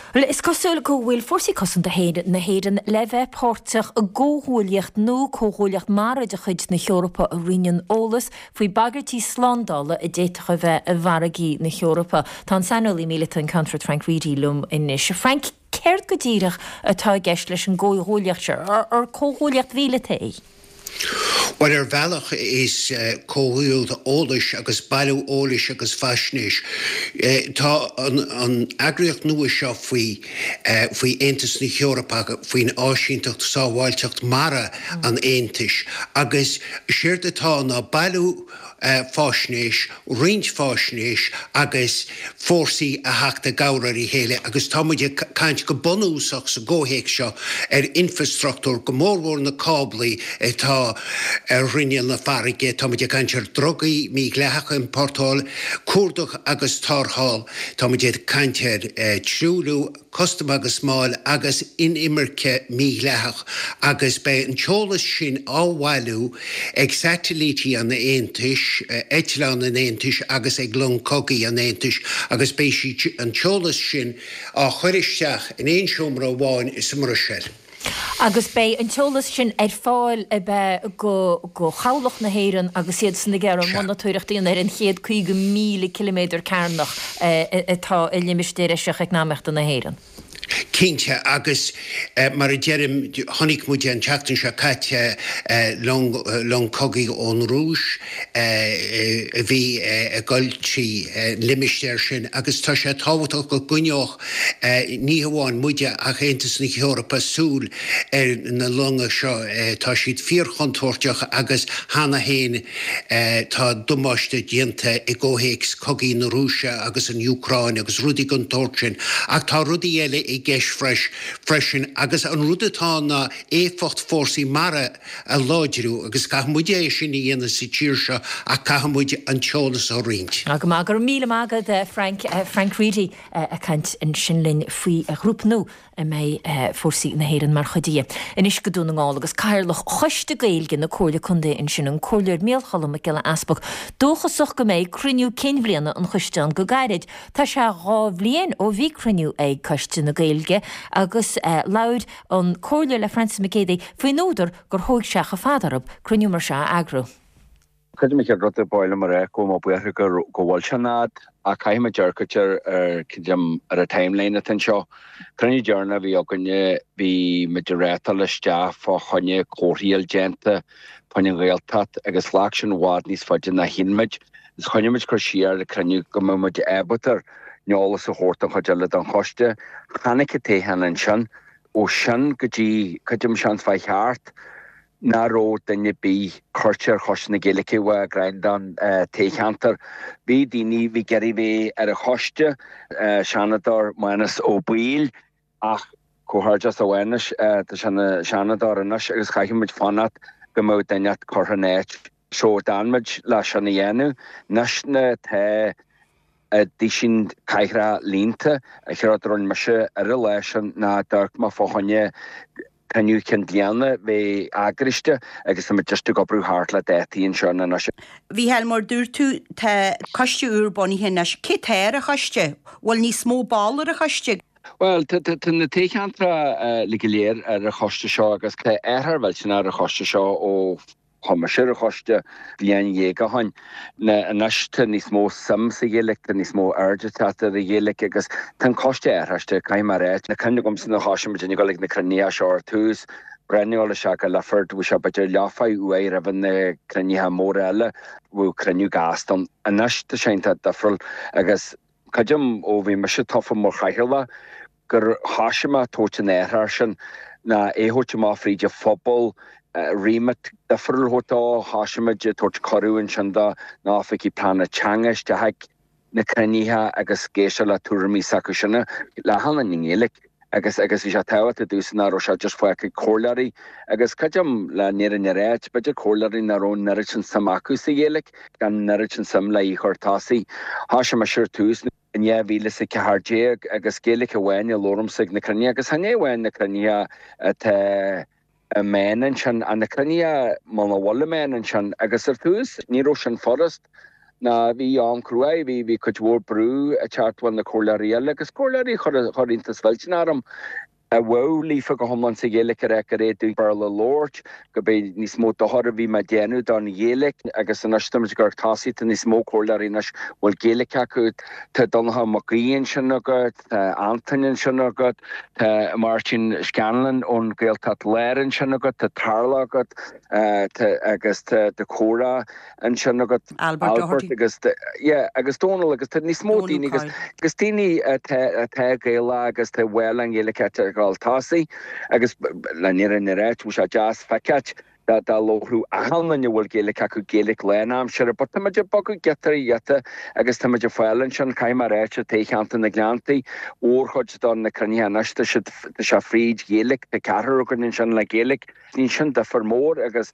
Speaker 1: Bhuel, is cosúil go bhfuil Fórsaí Cosanta na hÉireann le bheith páirteach i gcomhghuaillíocht nua, comhghuaillíocht mara de chuid na hEorpa a roinneann eolas faoi bhagairtí slándála a d'fhéadfadh a bheith i bhfarraigí na hEorpa. Tá an saineolaí míleata, an Ceannfort Frank Reidy liom anois. A Frank, céard go díreach atá i gceist leis an gcomhghuaillíocht seo? Ar comhghuaillíocht mhíleata í?
Speaker 13: Bhuel, ar bhealach is comhghuaillíocht eolais agus bailiú eolais agus faisnéis. Tá an eagraíocht nua seo faoi faoi Aontas na hEorpa, faoin Áisínteacht Sábháilteacht Mara an Aontais agus séard atá ná bailiú faisnéis, roinnt faisnéis agus fórsaí a theacht i gcabhair ar a chéile agus tá muid ag caint go bunúsach sa gcomhthéacs seo ar infreastruchtúr, go mórmhór na cáblaí atá. atá ar ghrinneall na farraige, tá muid ag caint ar drugaí mídhleathacha a iompórtáil, cuardach agus tarrtháil, tá muid ag caint ar truailliú, custam agus máil agus inimirce mhídhleathach agus beidh an t-eolas sin á bhailiú ag satailítí an Aontais, eitleáin an Aontais agus ag long cogaidh an Aontais agus beidh siad an t-eolas sin á chur isteach in aon seomra amháin sa mBruiséil.
Speaker 1: Agus beidh an t-eolas sin ar fáil ab ea go go chabhlach na hÉireann agus iadsan ag iarraidh monatóireacht a dhéanamh ar an chéad 50,000 ciliméadar cearnach atá i Limistéar Eisiach Eacnamaíochta na hÉireann.
Speaker 13: Cinnte, agus mar a deirim, chonaic muid an tseachtain seo caite long, long cogaidh ón Rúis a bhí ag dul trí an limistéar sin agus tá sé tábhachtach go gcoinneodh Ní hamháin muide ach Aontas na hEorpa súil ar na longa seo. Tá siad fíorchontúirteach agus cheana féin tá damáiste déanta i gcomhthéacs cogaí na Rúise agus an Úcráin agus rudaí den tsórt sin. Ach tá rudaí eile i gceist freisin agus an rud atá ann ná éifeacht fórsaí mara a láidriú agus caithfidh muid é sin a dhéanamh sa tír seo ach caithfidh muid an t-eolas a roinnt.
Speaker 1: Go maith, go raibh míle maith agat Frank, Frank Reidy. ag caint ansin linn faoi ghrúpa nua a mbeidh fórsaí na hÉireann mar chuid de. Anois go Dún na nGall agus Cathaoirleach Choiste Gaeilge na Comhairle Contae ansin, an Comhairleoir Micheál Cholm Mac Giolla Easpaig, dóchasach go mbeidh cruinniú cinn bhliana an choiste ann go gairid. Tá sé 2 bhliain ó bhí cruinniú ag Coiste na Gaeilge agus labhair an Comhairleoir le Francis Mac Géadaigh faoin údar gur thóig sé chomh fada orthu cruinniú mar seo a eagrú.
Speaker 14: Creidim an chéad rud a ba mhaith liom a rá go bhfuil mé buíoch go go bhfuil sé an fhad ach caithfidh muid amharc ar ar creidim ar an timeline atá anseo. Cruinniú deireanach a bhí againne bhí muid ag reáchtáil isteach fá choinne comharthaí a fháil déanta fá choinne an Ghaeltacht agus ghlac sin i bhfad níos faide ná shíl muid agus choinnigh muid cur siar le cruinniú go mbeadh muid ábalta an eolas a thabhairt don chuid eile den choiste. Tháinig an toghchán ansin ó sin go dtí creidim seans fá cheart nach raibh duine ar bith curtha ar Choiste na Gaeilge Mhaigh Ghreandáin toghcheantar. Bhí daoine, bhí ag iarraidh bheith ar an choiste, Seanadóir Mánus Ó Baoill, ach comhghairdeas a Mhánais, tá sé ina Sheanadóir anois agus chaithfidh muid fanacht go mbeadh duine inteacht curtha ina áit. So d'fhan muid le sin a dhéanamh. Anois na tá duisín cathaoireacha líonta, an chéad rud a rinne mise ar an lá sin ná d'amharc mé fá choinne cruinniú cinn bliana bheith eagraiste agus tá muid just ag oibriú thart le dátaí anseo anois.
Speaker 15: Mhícheáil, mar dúirt tú, tá coiste úr bunaithe anois. Cé tá ar an choiste? Bhfuil níos mó ball ar an choiste?
Speaker 14: Bhuel, tá na toghcheantracha uilig go léir ar an choiste seo agus tá athrú millteanach ar an choiste seo ó Chuaigh mise ar an choiste bliain dhéag ó shoin. Anois tá níos mó suim sa Ghaeilge, tá níos mó aird ag teacht ar an Ghaeilge agus tá an coiste athraiste, caithfidh mé a rá. Tá cuimhne agamsa nuair a thoisigh muid ag dul ag na cruinnithe seo ar tús, breathnú isteach i Lifford, bhí sé b'fhéidir leathuair uair roimh na cruinnithe móra eile, bhíodh cruinniú gasta ann. Anois tá sé iontach difriúil agus creidim ó bhí mise tofa mar chathaoirleach, gur thoisigh mé ag tabhairt an athrú sin, ná é a thabhairt amach fríd an phobal, remit difriúil a thabhairt dó, thoisigh muid ag tabhairt cuireadh ansin do na oifigigh pleanála teanga isteach ag na cruinnithe agus ag éisteacht le tuairimí s'acu sin le hAlan i nGaeilge agus agus bhí sé tábhachtach domhsa nach raibh sé just fágtha ag comhairleoirí agus creidim le an fhírinne a ráit, b'fhéidir comhairleoirí nach raibh an oiread sin suim acu sa Ghaeilge, gan an oiread sin suim le í a chur tosaigh. Thoisigh mise ar tús. in 2014 agus Gaeilge amháin a labhraímse ag na cruinnithe agus chan é amháin na cruinnithe atá i meán ansin ach na cruinnithe muna bhfuil i meán ansin agus ar tús ní raibh sin furast ná bhí am cruaidh, bhí bhí cuid mhór brú ag teacht ó na comhairleoirí eile agus comhairleoirí a chuir chuir iontas mhillteanach orm. a bheadh líofa go hiomlán sa Ghaeilge a rá gur é dúinn Béarla a labhairt, go b'é níos mó dochair a bhí mé ag déanamh don Ghaeilge agus anois tá muid ag cur tosaigh, tá níos mó comhairleoirí anois a bhfuil Gaeilge acu, tá Donnchadh Mac Aoidh ansin agat, tá Antain ansin agat, tá Máirtín Scanlon ón Gaeltacht Láir ansin agat, tá Tarlach agat, tá agus tá Comhrá. ansin agat
Speaker 15: Albert
Speaker 14: agus yeah agus Dónal agus tá níos mó daoine agus agus daoine atá atá Gaelach agus tá bhfuil an Ghaeilge ag dul tosaigh agus le an fhírinne a ráit bhí sé deas feiceáil. dá labhródh achan duine a bhfuil Gaeilge acu Gaeilge lánaimseartha but tá muid ag bogadh giota ar ghiota agus tá muid ag fáil ansin, caithfidh mé a ráit, i toghcheantar na nGleanntaí, mhórchuid de na cruinnithe anois tá siad, tá sé fríd Ghaeilge, tá ceathrar againn ansin le Gaeilge. Níl sin difear mór agus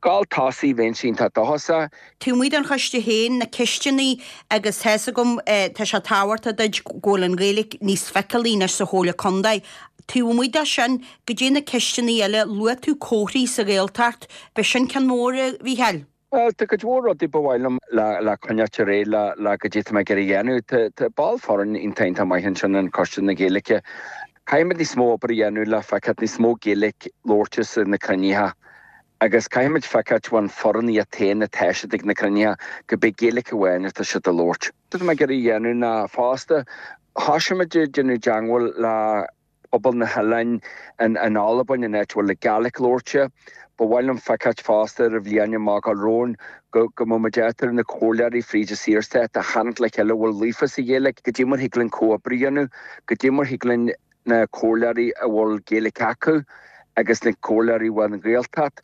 Speaker 14: gabháil tosaigh bheinnse iontach dóchasach.
Speaker 15: Taobh amuigh den choiste féin, na ceisteanna agus tá fhios agam, tá sé tábhachtach duit go bhfuil an Ghaeilge níos feiceálaí anois sa Chomhairle Contae. Taobh amuigh de sin, goidé na ceisteanna eile, luaigh tú comharthaí sa Ghaeltacht, b'shin ceann mór, a Mhícheáil?
Speaker 14: Bhuel, tá cuid mhór rudaí ba mhaith liom le coinneáilt ar aghaidh le le goidé tá mé ag iarraidh a dhéanamh. Tá tá ball foirne iontach iontach maith ansin in Coiste na Gaeilge. Caithfimid níos mó obair a dhéanamh le feiceáil níos mó Gaeilge labhairte sa na cruinnithe agus caithfimid feiceáil ón foireann iad féin atá siad ag na cruinnithe go beidh Gaeilge amháin atá siad a labhairt. Tá mé ag iarraidh a dhéanamh ná fosta thosaigh muid ag déanamh teagmháil le pobal na hoileáin in Albain, an áit a bhfuil an Gàidhlig labhairte. Ba mhaith liom feiceáilt fosta ar an bhliain amach gabháil romhainn go go mbeadh muid ábalta na comhairleoirí fríd an Saorstát a tharraingt le chéile a bhfuil líofa sa Ghaeilge, goidé mar thig linn comhoibriú a dhéanamh, goidé mar thig linn na comhairleoirí a bhfuil Gaeilge acu agus na comhairleoirí a bhfuil an Ghaeltacht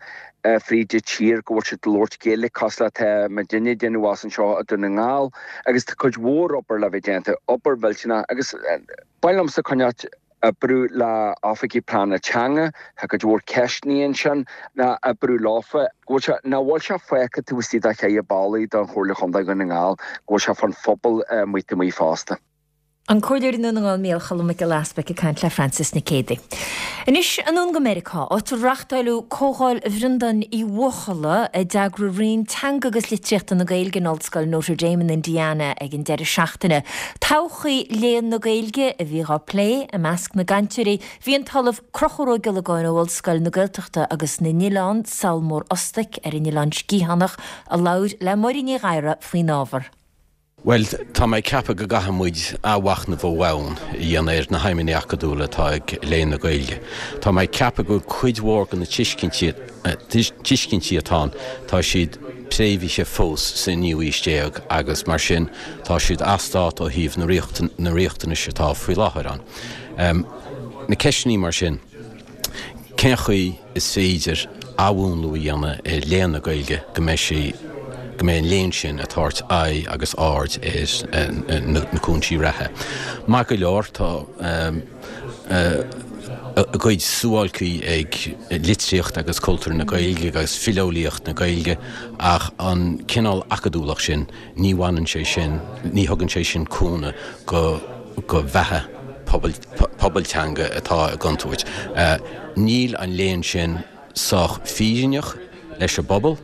Speaker 14: fríd an tír go bhfuil siad ag labhairt Gaeilge cosúil le tá muidinne ag déanamh as anseo i Dún na nGall agus tá cuid mhór obair le bheith déanta, obair mhillteanach agus. Ba mhaith liomsa coinneáilt oibriú le oifigigh pleanála teanga, tá cuid mhór ceisteanna ansin, ná oibriú leofa, go bhfuil sé, nach bhfuil sé fágtha taobh istigh de cheithre ballaí don Chomhairle Chontae Dhún na nGall, go bhfuil sé fán phobal amuigh taobh amuigh fosta.
Speaker 1: An Comhairleoir i nDún na nGall Micheál Choilm Mac Giolla Easbuic ag caint le Frances Nic Géadaigh. Anois anonn go Meiriceá, áit a reachtáileadh Comhdháil Bhreandáin Uí Bhuachalla a d'eagraigh Roinn Teanga agus Litríochta na Gaeilge in Ollscoil Notre Dame in Indiana ag an deireadh seachtaine. Todhchaí léann na Gaeilge a bhí á plé. I measc na gcainteoirí bhí an tOllamh Conchúr Ó Giollagáin ó Ollscoil na Gaeltachta agus na nOileán, Sabhal Mór Ostaig ar an Oileán Sciathánach, a labhair le Máire Ní Ghadhra faoin ábhar.
Speaker 16: Bhuel, tá mé ag ceapadh go gcaithfidh muid athmhachnamh ó bhonn a dhéanamh ar na haidhmeanna acadúla atá ag Léann na Gaeilge. Tá mé ag ceapadh go bhfuil cuid mhór de na tuiscintí atá ann, tá siad préamhaithe fós sa naoú haois déag agus mar sin tá siad as dáta ó thaobh na riachtanais atá faoi láthair ann. Na ceisteanna mar sin, cén chaoi is féidir athmhúnlú a dhéanamh ar léann na Gaeilge go mbeidh sí, go mbeidh an léann sin ag tabhairt aghaidh agus aird ar na cúinsí reatha. Maith go leor, tá a gcuid suáilcí ag litríocht agus cultúr na Gaeilge agus fileolaíocht na Gaeilge ach an cineál acadúlacht sin, ní bhaineann sé sin, ní thugann sé sin cúnamh go go bheatha pobail teanga atá i gcontúirt. Níl an léann sin sách fírinneach leis an bpobal.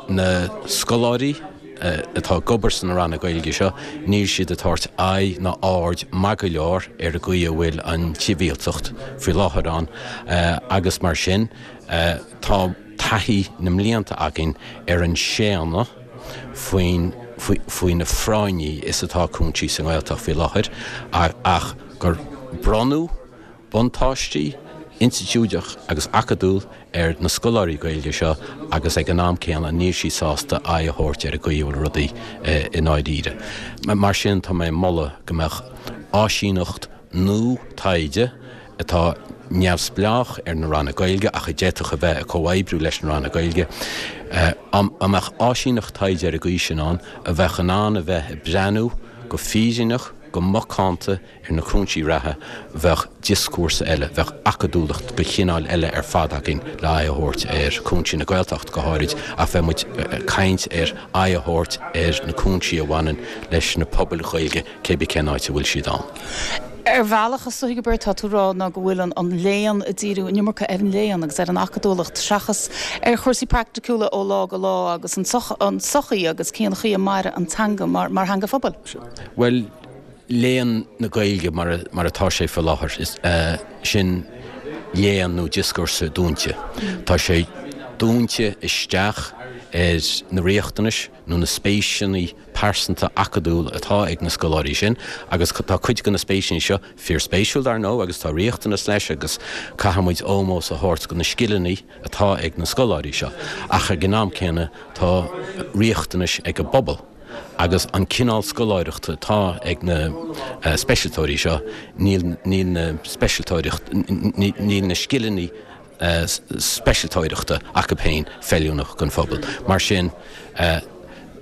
Speaker 16: Na scoláirí atá ag obair sna ranna Gaeilge seo, níl siad ag tabhairt aghaidh ná aird maith go leor ar an gcaoi a bhfuil an tsibhialtacht faoi láthair ann agus mar sin tá taithí na mblianta againn ar an séanadh faoin faoina phráinní is atá cúinsí sa nGaeltacht faoi láthair ach gur bronnadh buntáistí institiúideach agus acadúil ar na scoláirí Gaeilge seo agus ag an am céanna níl siad sásta aghaidh a thabhairt ar an gcaoi a bhfuil rudaí i ndáiríre. Mar sin tá mé ag moladh go mbeadh áisíneacht nua taighde atá neamhspleách ar na ranna Gaeilge ach a d'fhéadfadh a bheith ag comhoibriú leis na ranna Gaeilge, dá mbeadh áisíneacht taighde ar an gcaoi sin ann a bheadh in ann a bheith ag breathnú go fírinneach, go macánta Ar na cúinsí reatha, bheadh dioscúrsa eile, bheadh acadúlacht de chineál eile ar fad againn le aghaidh a thabhairt ar chúinsí na Gaeltachta go háirid, ach bheadh muid ag caint ar aghaidh a thabhairt ar na cúinsí a bhaineann leis na pobail Ghaeilge cé bith cén áit a bhfuil siad ann.
Speaker 17: Ar bhealach, is dóigh gurb éard atá tú a rá ná go bhfuil an léann ag díriú an iomarca ar an léann agus ar an acadúlacht seachas ar chúrsaí praiticiúla ó lá go lá agus an tsochaí agus cén chaoi a mairfidh an teanga mar theanga phobail.
Speaker 16: Bhuel, Léann na Gaeilge mar atá sé faoi láthair, sin léann nó dioscúrsa dúinte. Tá sé dúinte isteach ar na riachtanais nó na spéiseanna pearsanta acadúil atá ag na scoláirí sin agus tá cuid de na spéiseanna seo fíorspéisiúil dar ndóigh agus tá riachtanas leis agus caithfidh muid ómós a thabhairt do na scileanna atá ag na scoláirí seo ach ag an am céanna tá riachtanais ag an bpobal. Agus an cineál scoláireachta atá ag na speisialtóirí seo, níl, níl na speisialtóireacht, níl na scileanna. speisialtóireachta acu féin feiliúnach don phobal. Mar sin,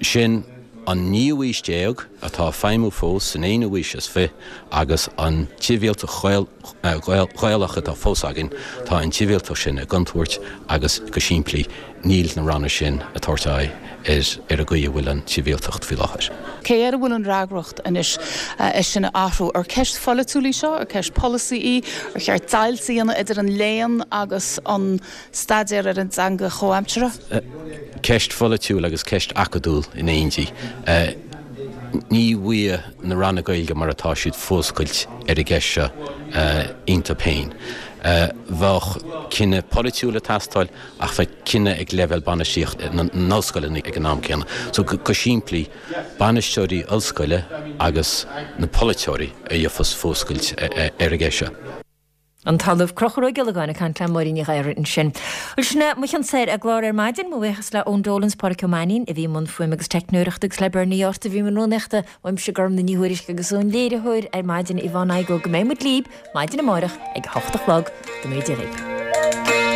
Speaker 16: sin an naoú haois déag atá ag feidhmiú fós san aonú haois is fi agus an tsibhialtacht Ghaelach atá fós againn, tá an tsibhialtacht sin i gcontúirt agus go simplí níl na ranna sin ag tabhairt aghaidh ar an gcaoi a bhfuil an tsibhialtacht faoi láthair.
Speaker 17: Cé air a bhfuil an fhreagracht anois é sin a athrú? Ar ceist pholaitiúil í seo? Ar ceist polasaí í? Ar cheart deighilt a dhéanamh idir an léann agus an staidéar ar an dteanga chomhaimseartha?
Speaker 16: Ceist pholaitiúil agus ceist acadúil in éindí. Ní bhfaighidh na ranna Gaeilge mar atá siad fuascailt ar an gceist seo iontu féin. Bheadh cinneadh polaitiúil ag teastáil ach bheadh cinneadh ag leibhéal bainistíocht na n-ollscoileanna ag an am céanna. So go simplí, bainisteoirí ollscoile agus na polaiteoirí a gheofas fuascailt ar an gceist seo.
Speaker 1: An tOllamh Conchúr Ó Giollagáin ag caint le Máirín Ní Ghadhra ansin. Bhuel, sin é mo chionn soir ar an gclár ar maidin. Mo bhuíochas le Eoin Dolan 's Pádraic Ó Mainnín a bhí i mbun fuaime agus teicneoireachta agus le Bernie Art a bhí i mbun rúnaíochta. Uaimse Gormfhlaith Ní Thuairisg agus ón léiritheoir ar maidin Yvonne Igoe go mbeidh muid libh maidin amárach ag a hocht a chlog. Go mbeidh Dia libh.